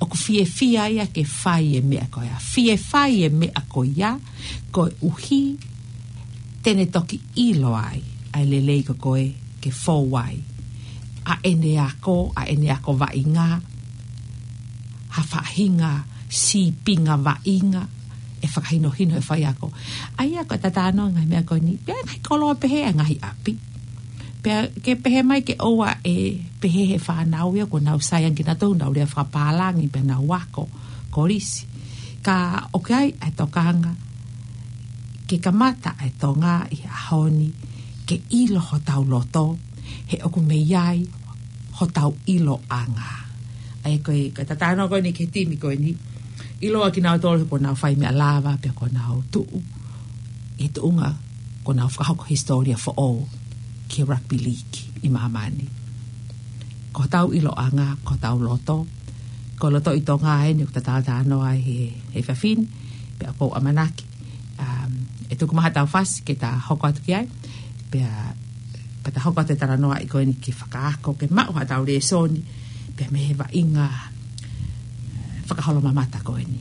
ʻOku fiefia ia ke fai e meʻa ko ia. Fiefia e meʻa ko ia, koeʻuhi te ne toki ʻilo ai ʻa e lelei ko ē ke fou ai ʻa ʻene ako, ʻa ʻene ako vaʻinga, ha faʻahinga sīpinga vaʻinga ʻe fakahinohino he faiako. ʻA ia ko e tatano ngaahi meʻa ko eni, pea ngaahi koloa pehē ʻa e ngaahi ʻapi. Pea ke pehē mai ke ʻoua ʻe pehē he fānau ia kuo nau saiangi kinautolu, nau lea fakapālangi pea nau ako kolisi. Ka ʻoku ʻi ai ʻa e tokanga ke kamata ʻa e Tonga ʻi he ʻaho ni ke ʻilo hotau loto, he ʻoku mei ai hotau ʻiloʻanga. ʻA ia ko e, ko e tatano ko eni ki he timi ko eni. ʻIloa kinautolu he kuo nau fai meʻa lava, pea kuo nau tuʻu ʻi he tuʻunga kuo nau fakahoko hisitōlia foʻou ki he rugby league ʻi māmani. Ko hotau ʻiloʻanga, ko hotau loto. Ko e loto ʻi Tonga eni ʻoku ta talanoa ai he, he efiafi ni, pea ʻoku ou ʻamanaki um, ʻe tuku mai haʻatau fasi ke ta hoko atu ki ai, pea, pea ta hoko atu e talanoaʻi ko eni ke fakaako, ke maʻu haʻatau lēsoni, pea mei he vaʻinga, eh, fakaholomamata ko eni.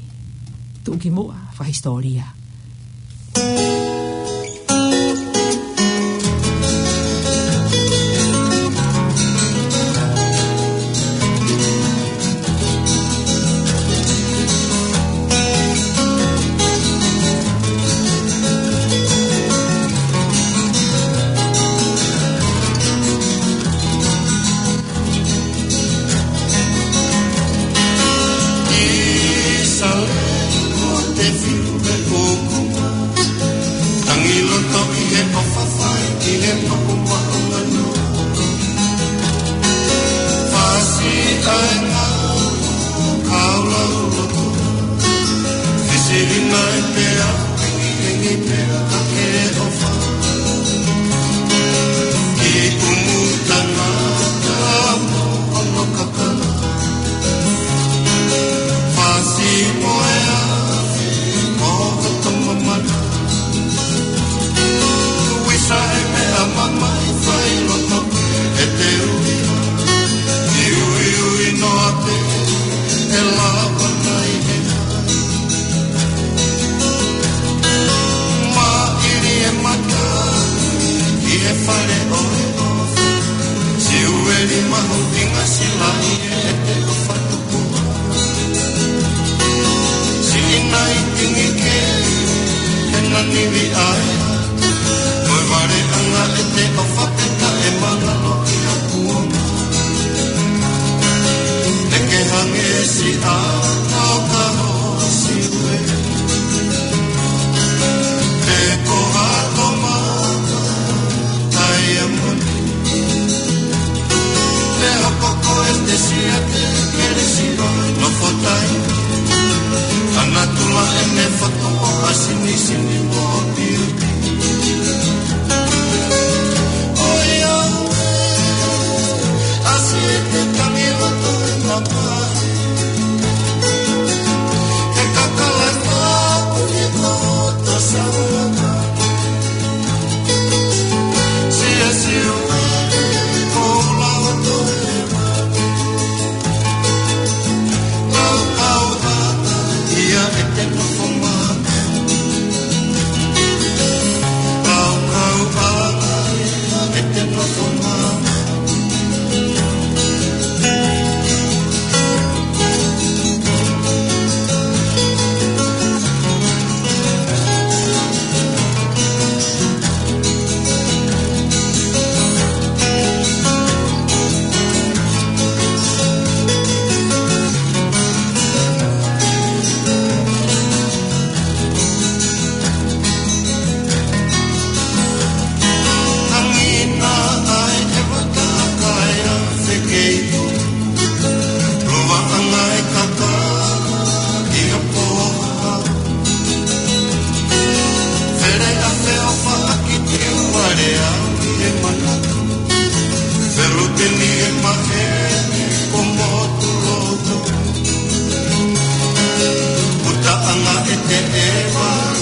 Tuʻukimuʻa, fakahisitōlia. Tangi loto ʻi he ʻofa, fai ki he maʻu maʻu manu. Fasi ʻa e ngāue, kau lau loto. Fesili mai pea, hengihengi pea, ka ke ʻofa. Ki ʻumu tangata, mo ono kakala. Fasi mo e afi, mo ka tama mana. Uisa e meʻa mamahi fai loto e te ui. I ui ui noa pē e lava nai e. Maʻili e mata ʻi he fale ʻo e ʻofa. Siueli mahuʻinga silaʻi e te ʻofa. Siʻi nai tingi ke, he nani vi ai. Mo e vale anga e te ʻofa peka e mangalo ki a kuonga. Te ke hange si a kau ka ho siue. Te ko ha toma tai a moni. Te hoko ko e te sia te kere siro no fotai. Ana tula e ne foto o a sini sini mo piu. Oi au e, a si e te tangi loto e mapa.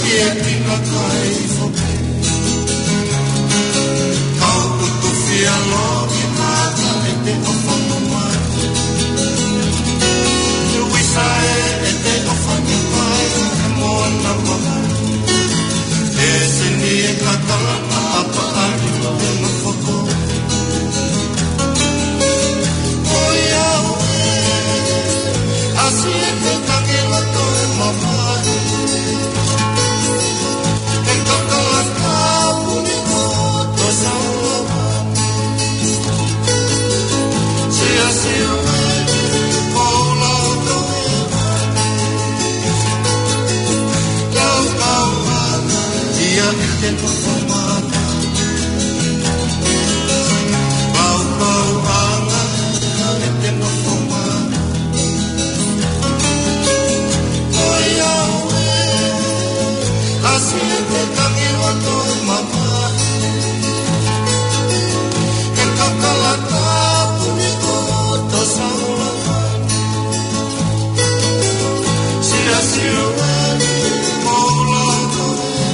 ʻIa ki na kai foki. Kau utu fia loki mata e te ʻofa mai. Te uisa e, e te ʻofa mai e moana mai. E seni e katala a pa a ri te na foko. ʻOiauē, ʻasi e te tangi loto e mamahi. E kakala tapu ni ko to saua. Siʻa siʻa e, ko lau to e. Kau kau ana, ia e te nofo mai. Pau, pau, anga, e te nofo mai. ʻOiauē, ʻasi e te tangi loto mamahi. E kakala tapu ni ko to saua. Siʻa siʻa e, ko lau to e.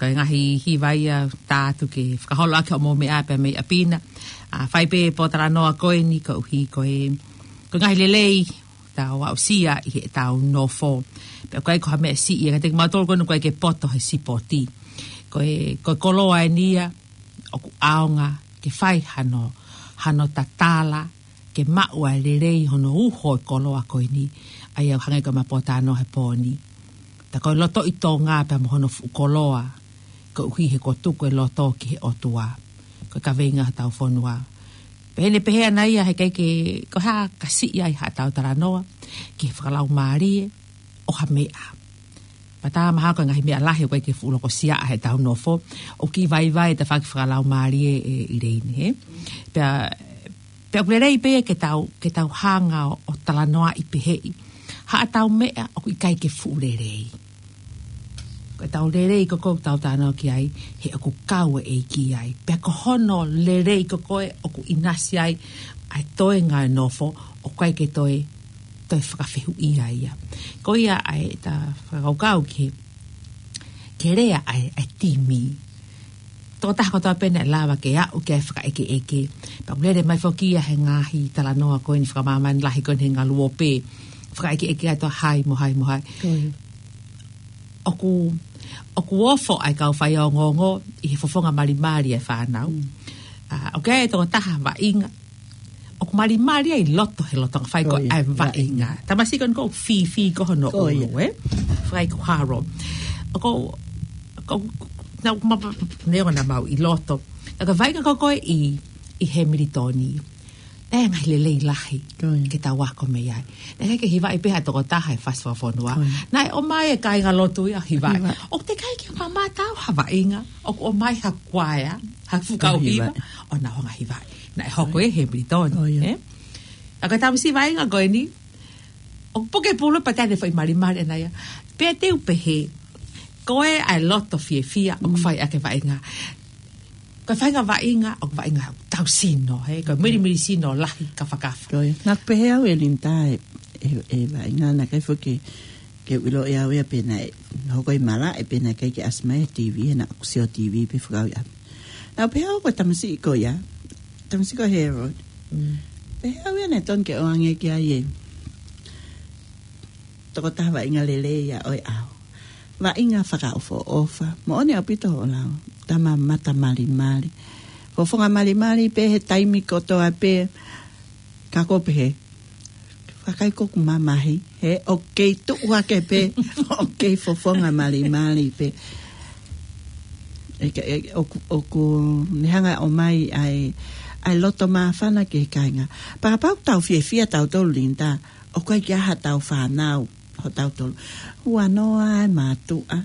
Ko e ngaahi hiva ia ʻoku ʻatu ke fakaholo ʻaki hoʻomou meʻa pē mei ʻapi na. ʻA, fai pē pōtalanoa ko eni koeʻuhi ko e, ko e ngaahi lelei ʻoku tau aʻusia ʻi heʻetau nofo. Pea ʻoku ʻikai ko ha meʻa siʻi ia kiate kimautolu ko eni ʻoku ʻikai ke poto he sipoti. Ko e, ko e koloa eni ia ʻoku ʻaonga ke fai hano, hano tatala, ke maʻu ʻa e lelei hono uho e koloa ko eni. ʻA ia ʻoku hangē ko ʻema pōtalanoa he pō ni. Tā ko e lotoʻi Tonga pea mo hono fuʻu koloa, koeʻuhi he kuo tuku e loto ki he ʻOtua. Ko e kaveinga hotau fonua. Pehē ni, pehē ʻana ia heʻikai ke, ko e hā ka siʻi ai haʻatau talanoa ki he fakalaumālie ʻo ha meʻa. Pea tā mahalo ko e ngaahi meʻa lahi ʻoku ʻikai ke fuʻu lokosia ʻa heʻetau nofo, ʻoku kiʻi vaivai e tafaʻaki fakalaumālie ʻe ʻIleini, hē? Pea, pea ʻoku lelei pē ia ke tau, ke tau hanga ʻo, ʻo talanoaʻi pehē ʻi haʻatau meʻa ʻoku ʻikai ke fuʻu lelei. Ko ʻetau lelei ko ē ʻoku tau talanoa ki ai, he ʻoku kau e ʻEiki ai. Pea ko hono lelei ko ē ʻoku ʻinasi ai ʻa e toenga e nofo, ʻoku ʻikai ke toe, toe fakafehuʻia ia. Ko ia ai ʻeta fakakaukau ki he, ki he lea ʻa e, ʻa e timi. Tokotaha kotoa pē naʻe lava ke aʻu ki ai e fakaʻekeʻeke. Pea ʻoku lele mai foki ia he ngaahi talanoa ko eni fakamāmani lahi ko eni he ngaluope. Fakaʻekeʻeke atu ʻa hai mo hai mo hai. Ko ia. ʻOku, ʻoku ofo ʻa e kau faiongoongo ʻi he fofonga malimali ʻa e fānau. Mm. ʻA, ʻoku ʻi ai e tokotaha vaʻinga ʻoku malimali ai loto he lolotonga fai ko ia, ʻa e vaʻinga. Vaʻinga. Tamasiʻi ko eni ʻoku fīfī ko hono ʻulu, ē? Fai ko haro. ʻOku, ʻoku, na, ma, ma, ne ona mau ʻi loto. Ka ko e vaʻinga ko ē ʻi, ʻi Hemilitoni. Naʻe ngaahi lelei lahi ke tau ako mei ai. Naʻe ʻikai ke hivaʻi pē ha tokotaha he fasi fakafonua. Naʻe ʻomai e kāingalotu ia hivaʻi. ʻOku teʻeki ai ke mamata au ha vaʻinga ʻoku ʻomai ha kuaea, ha fuʻu kau hiva, ʻo nau hanga hivaʻi. Naʻe hoko ia ʻi Hemilitoni, ē? ʻA ko e tamasiʻi vaʻinga ko eni, ʻoku puke pulu pea te ne foʻi malimali ʻana ia. Pea te u pehē, ko e ʻa e loto fiefia ʻoku fai ʻaki e vaʻinga. Ko e faʻahinga vaʻinga, ʻoku vaʻinga tau sino, hē, ko e milimili sino lahi kafakafa. Ko ia. Naʻa ku pehē au ʻe Linda ʻe, ʻe, ʻe vaʻinga naʻe ʻikai foki ke u ʻiloʻi au ia pe naʻe hoko ʻi malaʻe pe naʻe ʻikai ke ʻasi mai e TV, he naʻa ku sio TV pē fakaʻuhi ʻapi. Naʻa ku pehē au ko e tamasiʻi ko ia, tamasiʻi ko Harold. Mm. Pehē au ia naʻe tonu ke ʻoange ki ai e tokotaha vaʻinga lelei ia ʻo e ʻaho. Vaʻinga fakaʻofoʻofa. Moʻoni ʻaupito hoʻo lau. Tama mata malimali. Fofonga malimali pē he taimi kotoa pē. Ka ko pehē, vakai ko ʻeku mamahi, hē, ʻoku kei tuʻu hake pē, ʻoku kei fofonga malimali pē. ʻE, ʻe, ʻoku, ʻoku ne hanga ʻo ʻomai ʻa e, ʻa e loto māfana ki he kāinga. Pea kapau ʻoku tau fiefia tautolu Linda, ʻoku ʻikai ke ʻi ai haʻatau fānau, hotau tolu. Huanoa e mātuʻa,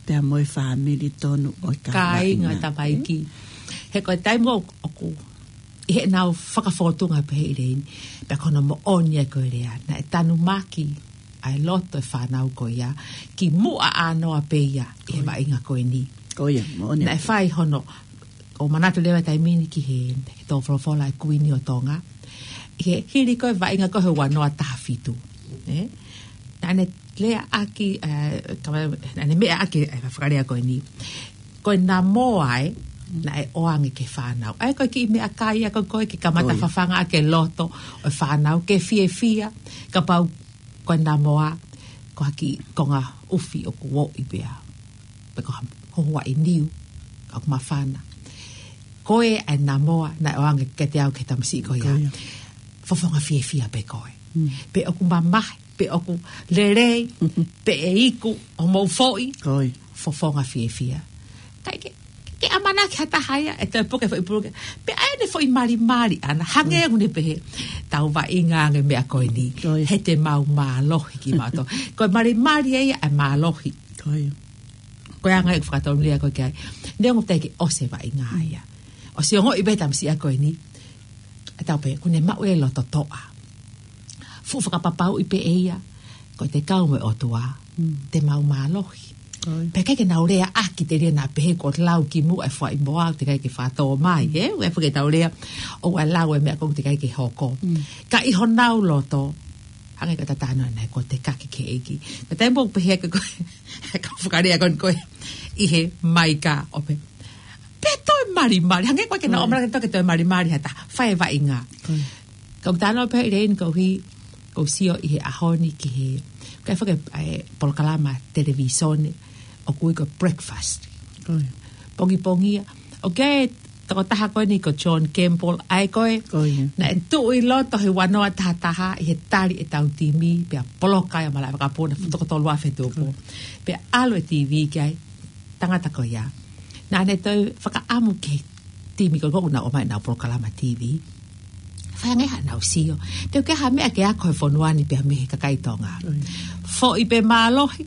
pea mo e fāmili tonu ʻo e kāinga, kāinga ʻo e tamaiki. He ko e taimi ʻoku, ʻoku, ʻi heʻenau fakafōtunga pehē ʻi leni. Pea ko hono moʻoni ʻa e ko e lea, naʻe tanumaki ʻa e loto e fānau ko ia, kimuʻa ʻānoa pē ia, ʻi he vaʻinga ko eni. Ko ia, moʻoni. Naʻe fai hono, ʻo manatu leva taimi ni ki he, he tō folofola e Kuini ʻo Tonga. ʻI he hili ko e vaʻinga ko ē he ua noa taha fitu. Ē? Naʻa ne lea ʻaki, ē, ka, naʻa ne meʻa ʻaki, ē, fakalea ko eni. Ko e namoa ē, naʻe ʻoange ki he fānau. ʻA ia ko e kiʻi meʻakai ia ko ē ko ē ke kamata fafanga ʻaki e loto ʻo e fānau, ke fiefia, kapau ko e namoa, ko ha kiʻi konga ʻufi ʻoku ʻoʻi pea. Pe ko ha hohoaʻi niu, ka ʻoku mafana. Ko e ʻa e namoa, naʻe ʻoange kiate au ki he tamasiʻi ko ia. Ko ia. Fofonga fiefia pē koe. Mm. Pe ʻoku mamahi, pe ʻoku lelei, pe ʻe iku, ʻo mou foʻi. Ko ia. Fofonga fiefia. ʻIkai ke, ke ʻamanaki ha taha ia, ʻe toe puke foʻi puluke. Pea ʻai ʻene foʻi malimali ʻana, hangē ʻoku ne pehē, tau vaʻinga ange meʻa ko eni. Ko ia. He te mau mālohi kimautolu. Ko e malimali ia ʻa e mālohi. Ko ia. Ko e anga e fakatonulea ko ē ki ai. Neongo teʻeki ke ʻosi e vaʻinga ia. ʻOsi ongoʻi pē tamasiʻi ko eni. ʻE tau pehē, kuo ne maʻu e loto toʻa. Fuʻu fakapapauʻi pē ʻe ia. Ko e te kau mo e ʻOtua. Mm. Te mau mālohi. Ko ia. Pea ʻikai ke nau lea ʻaki telia naʻa pehē ko e lau kimuʻa e fuaʻimoa, teʻeki ai ke fakatō mai, ē? ʻOku ʻi ai foki ʻetau lea, ʻoua lau e meʻa ko ē teʻeki ai ke hoko. Mm. Ka ʻi honau loto, Hangē ko e tatano ʻanai ko e tekaki ki he ʻEiki. Ko e taimi ʻoku pehē ko e, ko e, ka fakalea ko eni ko e, ʻi he maika ʻo pehē, pea toe malimali. Hangē ko e ke na ʻomai ke toe malimali ha taha. Fai e vaʻinga. Ka ʻoku ou talanoa pē ʻi he ʻaho ni koeʻuhi, ʻoku ou sio ʻi he ʻaho ni ki he, ʻoku ʻi ai foki e polokalama televīsone ʻoku ui ko e Breakfast. Pongipongia. ʻOku ʻi ai e tokotaha ko eni ko John Campbell, ʻa ē ko ē naʻe tuʻu ʻi loto he ua noa taha taha ʻi he tali ʻetau timi, pea poloka ai ʻa e malaʻe vakapuna, fuʻu toko tolu afe tupu. Pea ʻalu e TV ki ai, tangata ko ia. Naʻa ne toe fakaʻamu ki he timi ko ē ʻoku nau ʻomai ʻenau polokalama TV. Fai ange haʻanau sio. Te u ke ha meʻa ke ako he fonua ni pea mei he kakai Tonga. Foʻi pē mālohi,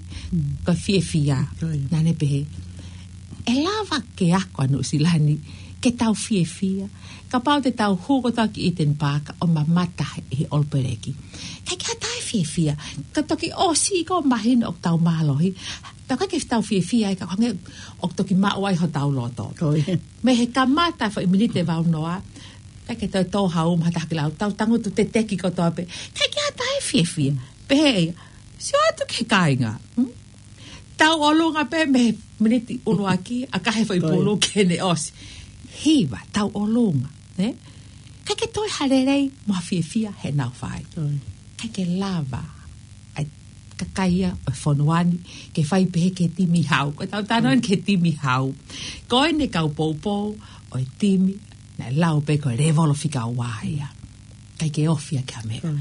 ko e fiefia. Naʻa ne pehē, ʻe lava ke ako ʻa Nuʻusila ni, ke tau fiefia. Kapau te tau hū kotoa ki Eden Park ʻo mamata he, he ʻolopeleki. ʻIkai ke ʻi ai ha taha ʻe fiefia. Ka toki ʻosi ko e mahino ʻoku tau mālohi. Tau ʻikai ke tau fiefia ai ka hangē ʻoku toki maʻu ai hotau loto. Mei he kamata foʻi miniti ʻe vau noa. ʻIkai ke toe tō ha uma ha taha ki lau. Tau tangutu teteki kotoa pē. ʻIkai ke ʻi ai ha taha ʻe fiefia. Pehē ʻe ia, sio atu ki he kāinga. Hmm? Tau ʻolunga pē mei he miniti ʻuluaki, ʻa ka he foʻi pulu ke ne ʻosi. Hiva, tau ʻolunga, ne? ʻIkai ke toe ha lelei mo ha fiefia heʻenau fai. ʻIkai ke lava ʻa e kakai ia ʻo e fonua ni ke fai pehē ki he timi hau. Ko ʻetau talanoa eni ki he timi hau. Ko eni e kau poupou ʻo e timi naʻe lau pē ko e lēvolo fika ua ia. ʻIkai ke ofi ʻaki ha meʻa.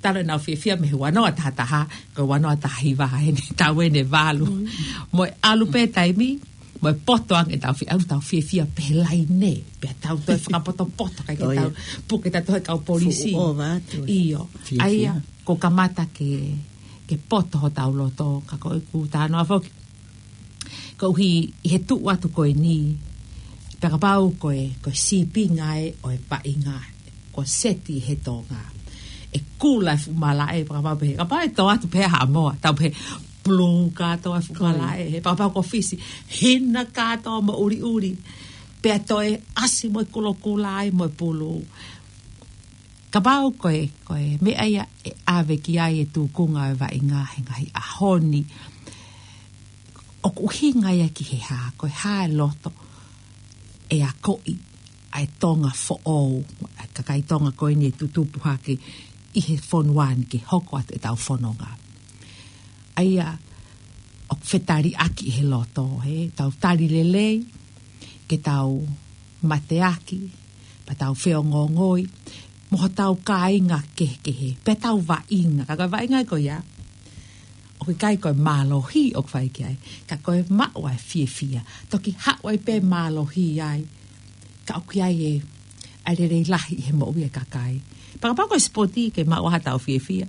Talu ʻenau fiefia mei he ua noa taha taha, ko e ua noa taha hiva eni, tau eni valu. Mo e ʻalu pē taimi, mo e poto ange ʻetau fie-, ʻalu tau fiefia pē he laine, pea tau toe fakapotopoto, ʻikai ke tau puke ʻetau toe kau polisi. ʻIo. ʻA ia, ko e kamata ke, ke poto hotau loto, ka ko ʻeku talanoa foki. Koeʻuhi ʻi he tuʻu atu ko eni, pea kapau ko e, ko e sīpinga ē ʻo e vaʻinga, ko e seti he Tonga. ʻE kula e fuʻu malaʻe, pea kapau pē, kapau ʻe tō atu pē ha moa, tau pē pulu kātoa e fuʻu malaʻe, he pea kapau ko Fisi, hina kātoa mo ʻuliʻuli, pea toe ʻasi mo e kulokula ai mo e pulu. Kapau ko e, ko e meʻa ia ʻe ʻave ki ai e tūkunga ʻo e vaʻinga he ngaahi ʻaho ni, ʻoku ʻuhinga ia ki he hā, ko e hā e loto ʻe akoʻi ʻa e Tonga foʻou, ʻa e kakai Tonga ko eni ʻe tutupu hake ʻi he fonua ni ke hoko atu ʻetau fononga. ʻA ia, ʻoku fetaliʻaki he loto, he, tau tali lelei, ke tau mateaki, pea tau feongoongoi, mo hotau kāinga kehekehe, pea tau vaʻinga, ka ko e vaʻinga ko ia, ʻoku ʻikai ko e mālohi ʻoku fai ki ai, ka ko e maʻu ʻa e fiefia, toki haʻu ai pē mālohi ai, ka ʻoku ʻi ai e, ʻa e lelei lahi ʻi he moʻui e kakai. Pea kapau ko e sipoti ke maʻu ai hatau fiefia,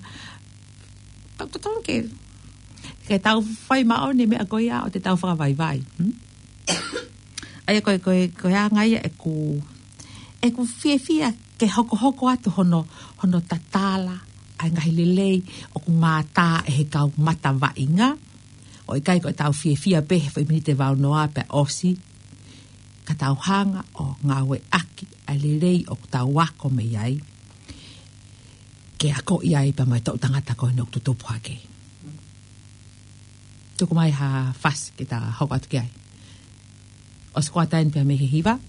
pea totonu ke, ke tau fai māʻoniʻoni meʻa ko ia ʻo te tau fakavaivai. Hmm? ʻA ia ko e, ko e, ko e anga ia ʻeku, ʻeku fiefia ke hokohoko atu hono, hono tatala ʻa e ngaahi lelei ʻoku mātā ʻe he kau mata vaʻinga. ʻOku ʻikai ko ʻetau fiefia pē he foʻi miniti ʻe vau noa pea ʻosi. Ka tau hanga ʻo ngāueʻaki ʻa e lelei ʻoku tau ako mei ai. Ke akoʻi ai pea mo e toʻutangata ko eni ʻoku tutupu hake. Tuku mai ha fasi ke ta hoko atu ki ai. ʻOsi ko ʻeni pea mei he hiva.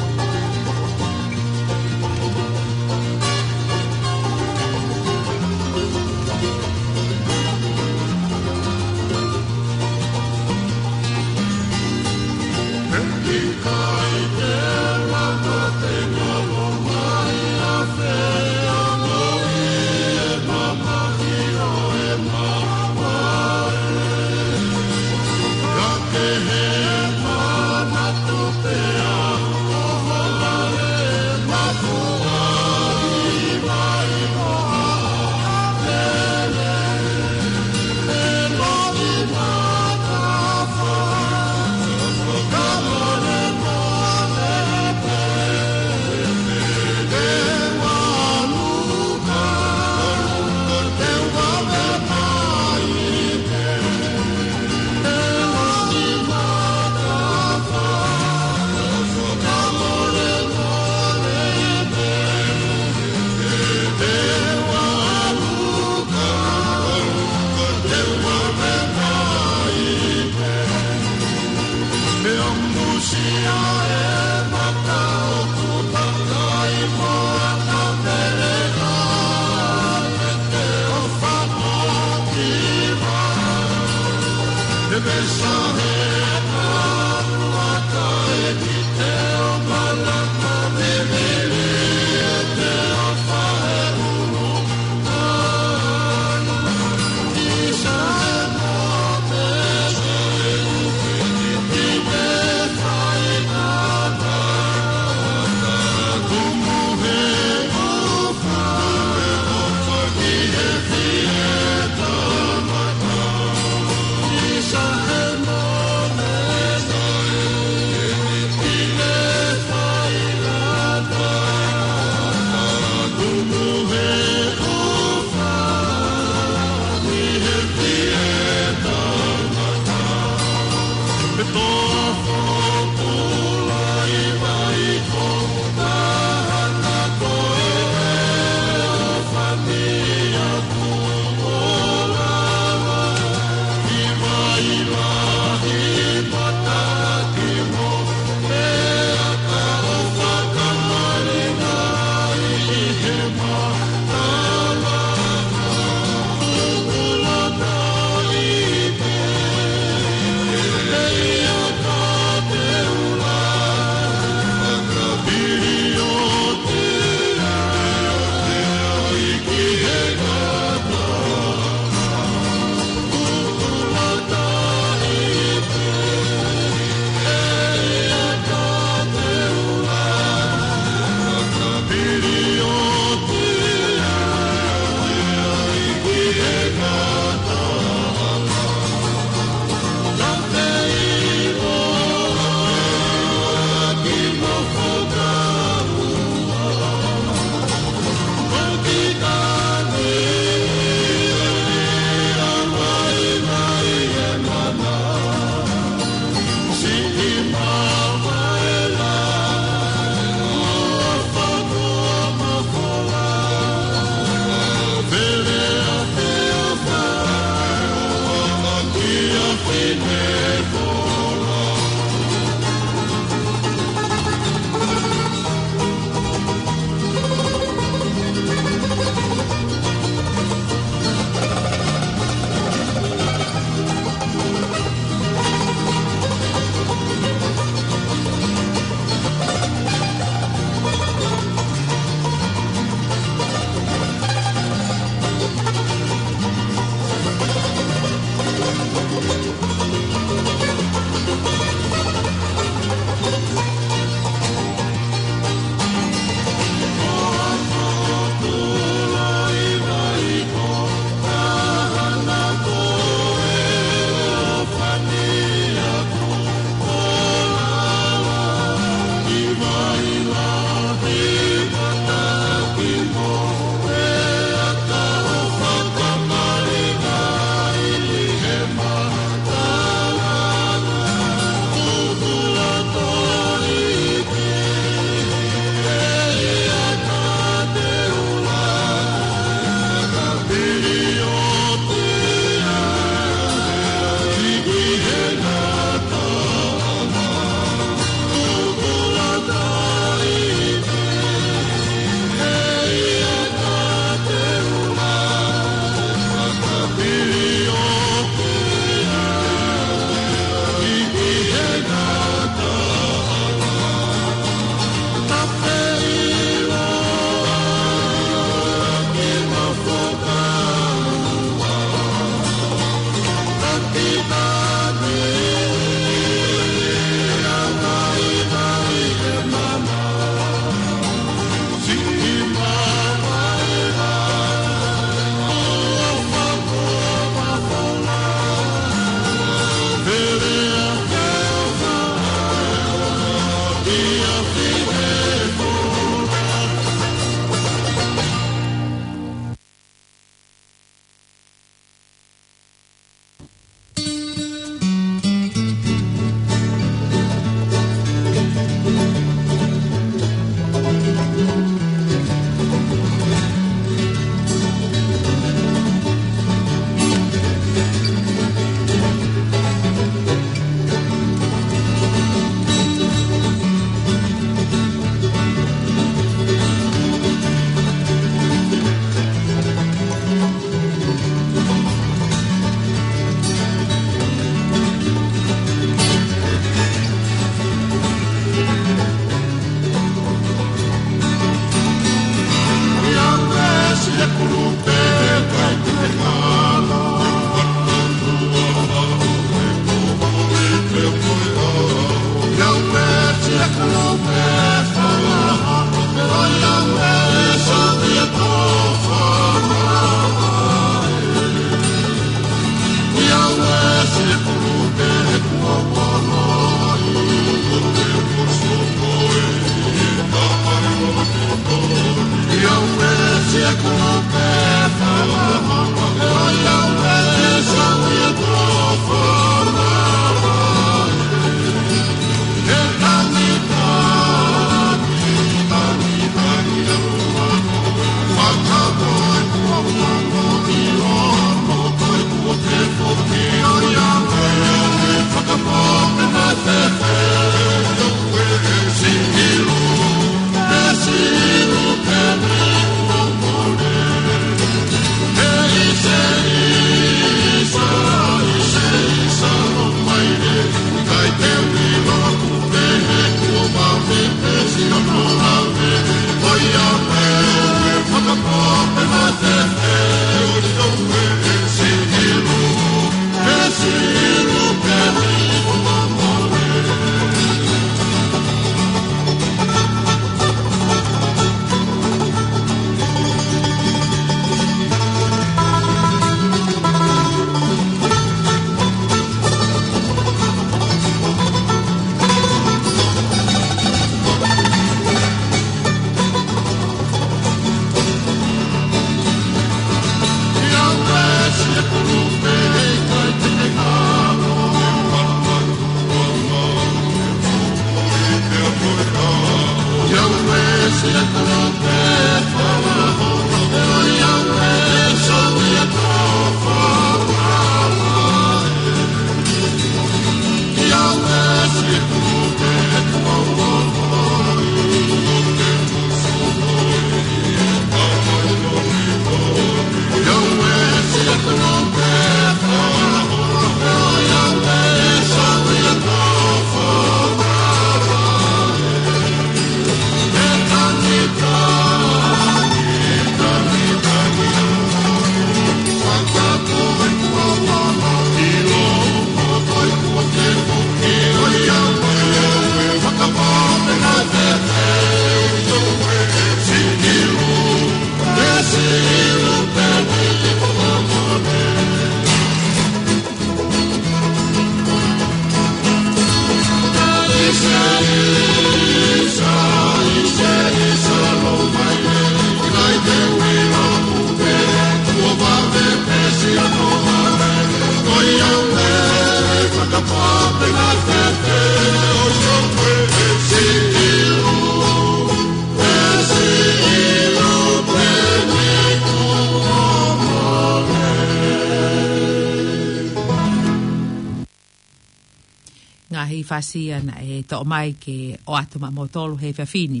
ʻA e fasi ia naʻe toʻo mai ke ʻoatu maʻa moutolu he efiafi ni.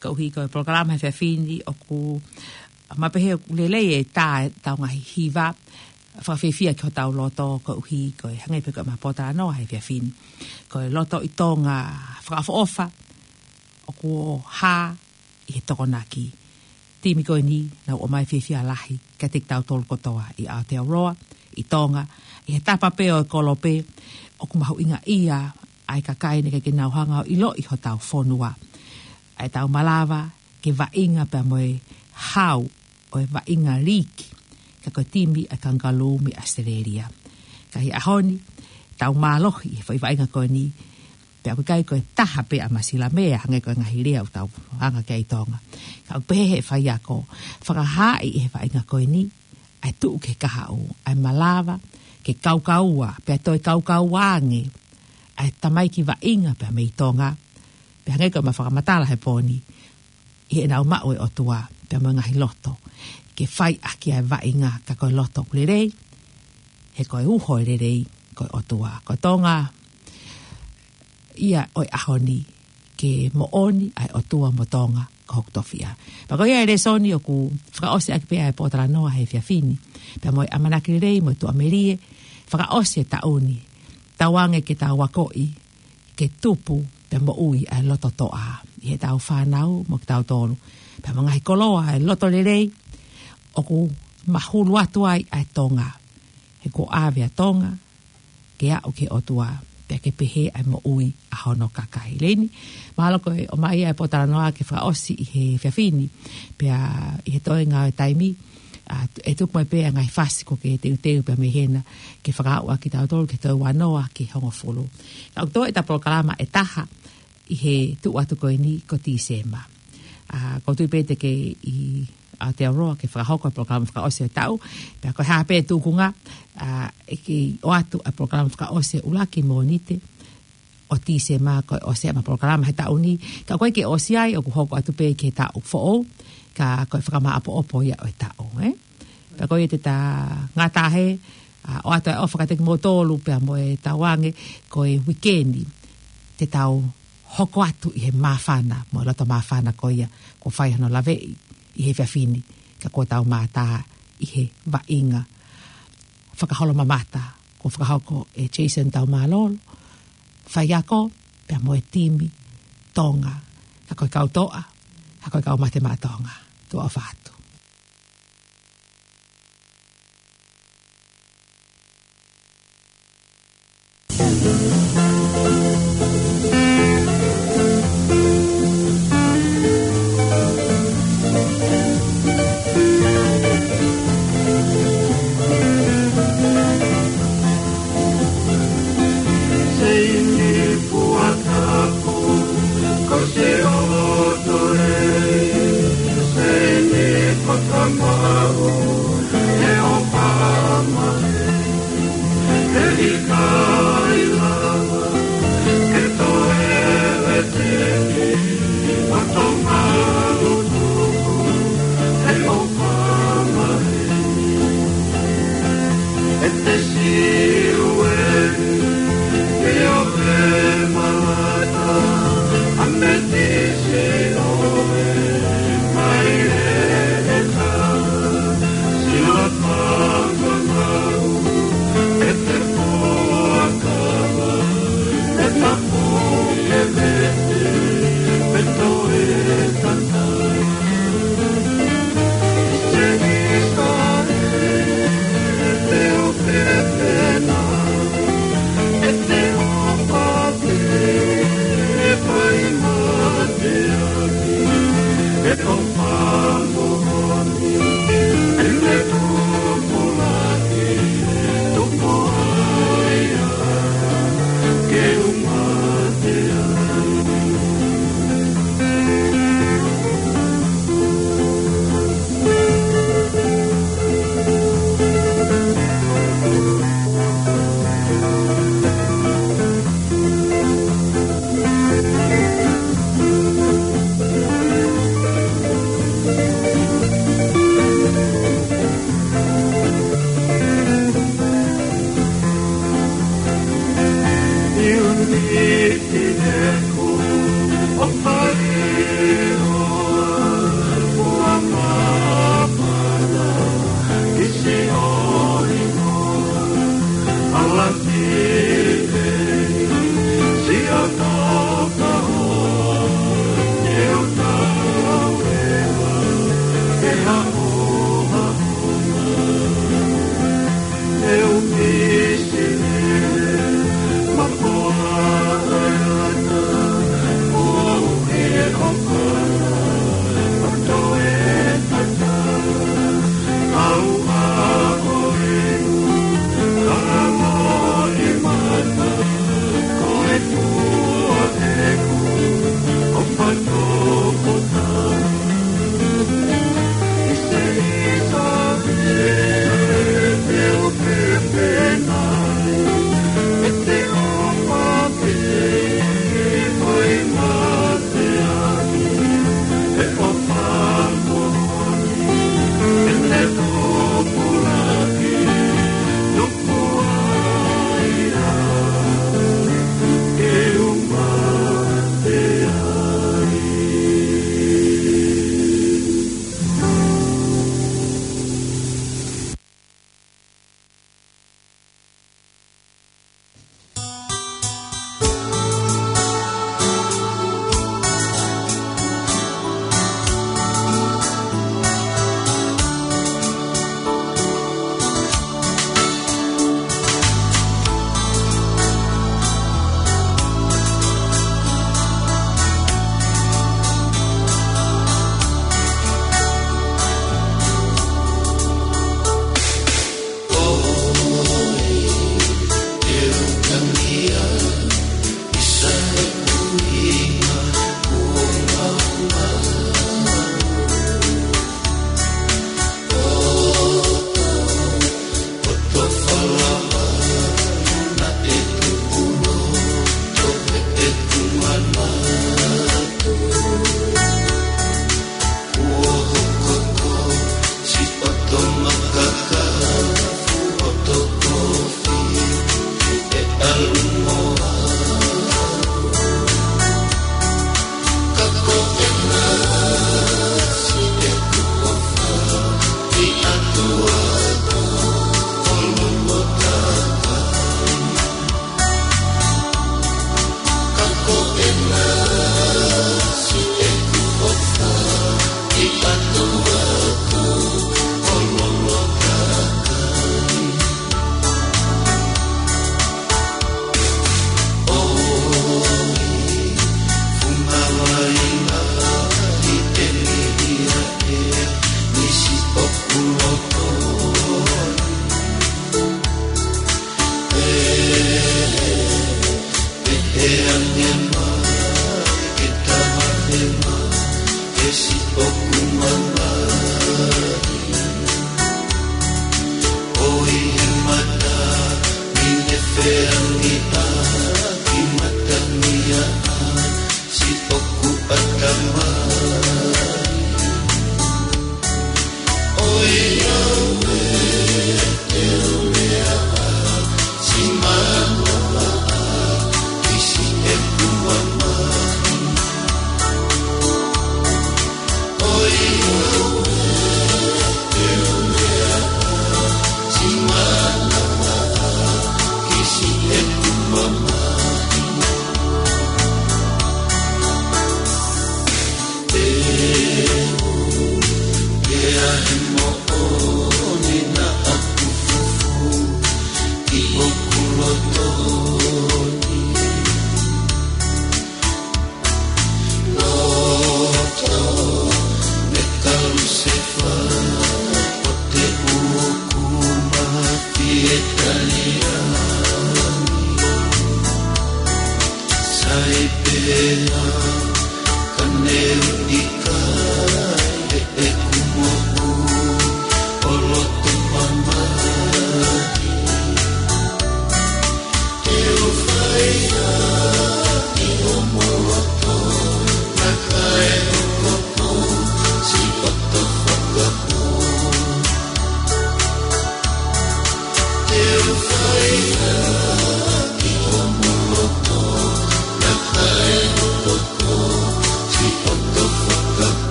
Koeʻuhi ko e polokalama he efiafi ni ʻoku maʻu pē he ʻoku lelei e tā ʻetau ngaahi hiva fakafiefia ki hotau loto koeʻuhi ko e hangē pē ko ʻema pōtalanoa he efiafi ni. Ko e loto ʻi Tonga fakaʻofoʻofa, ʻoku hā ʻi he Tokonaki. Timi ko eni naʻa nau ʻomai fiefia lahi kiate kitautolu kotoa ʻi Aotearoa, ʻi Tonga, ʻi he tapa pē ʻo e kolope, ʻoku mahuʻingaʻia ʻa e kakai naʻe ʻikai ke nau hanga ʻo ʻiloʻi hotau fonua. ʻA ʻetau malava ke vaʻinga pea mo e hau ʻo e vaʻinga liiki, ka ko e timi ʻa e Kangaroo mei ʻAositelēlia. Ka ʻi he ʻaho ni, tau mālohi he foʻi vaʻinga ko eni, pea ʻoku ʻikai ko e taha pē ʻa Masilamea, hangē ko e ngaahi lea ʻoku tau hanga ki ai ʻi Tonga. Ka ʻoku pehē he faiako, fakahaaʻi ʻe he vaʻinga ko eni, ʻa e tuʻu ki he kahaʻu, ʻa e malava ke kaukaua, pea toe kaukaua ange ʻa e tamaiki vaʻinga pea mei Tonga, pea hangē ko ʻema fakamatala he pō ni, ʻi heʻenau maʻu e ʻOtua pea mo e ngaahi loto ke fai ʻaki ʻa e vaʻinga, ka ko e loto ʻoku lelei, he ko e uho e lelei ko e ʻOtua. Ko Tonga ia ʻo e ʻaho ni, ke moʻoni ʻa e ʻOtua mo Tonga ko hoku tofiʻa. Pea ko ia e lēsoni ʻoku fakaʻosi ʻaki pē ʻa e pōtalanoa he efiafi ni, pea mo e ʻamanaki lelei mo e tuʻamelie fakaʻosi e taʻu ni, tauange ke tau akoʻi ke tupu pea moʻui ʻa e loto toʻa ʻi heʻetau fānau mo kitautolu, pea mo e ngaahi koloa ʻa e loto lelei ʻoku mahulu atu ai ʻa e Tonga. He kuo ʻave ʻa Tonga ke aʻu ki he ʻOtua, pea ke pehē ʻa e moʻui ʻa hono kakai. Leni, mahalo ko e ʻomai ʻa e pōtalanoa ke fakaʻosi ʻi he efiafi ni, pea ʻi he toenga ʻo e taimi, ʻa, ʻe tuku mai pē ʻa e ngaahi fasi kuo ke teuteu pea mei hena ke fakaaʻu ʻa kitautolu ki he toe uanoa ki he hongofulu. Ka ʻoku toe ʻeta polokalama ʻe taha ʻi he tuʻu atu ko eni ko Tīsema. ʻA, ʻoku ou tui pē te ke ʻi Aotearoa ke fakahoko e polokalama fakaʻosi e taʻu, pea ko e hā pē tūkunga, ʻa, ʻe kei ʻoatu ʻa e polokalama fakaʻosi e ʻuluaki Mōnite ʻo Tīsema, ko e ʻosi ʻema polokalama he taʻu ni, ka ʻoku ʻikai ke ʻosi ai, ʻoku hoko atu pē ki he taʻu foʻou, ka ko e fakamāʻopoʻopo ia ʻo e taʻu, ē? Pea ko ia te ta ngata he, ʻa, ʻoatu e ʻofa kiate kimoutolu pea mo e tauange ko e uike ni te tau hoko atu ʻi he māfana, mo e loto māfana ko ia kuo fai hono laveʻi ʻi he efiafi ni, ka kuo tau mātā ʻi he vaʻinga fakaholomamata kuo fakahoko ʻe Jason Taumālolo, faiako, pea mo e timi Tonga, ka ko e kau toʻa, ka ko e kau mate maʻa Tonga. Tuʻa ʻofa atu.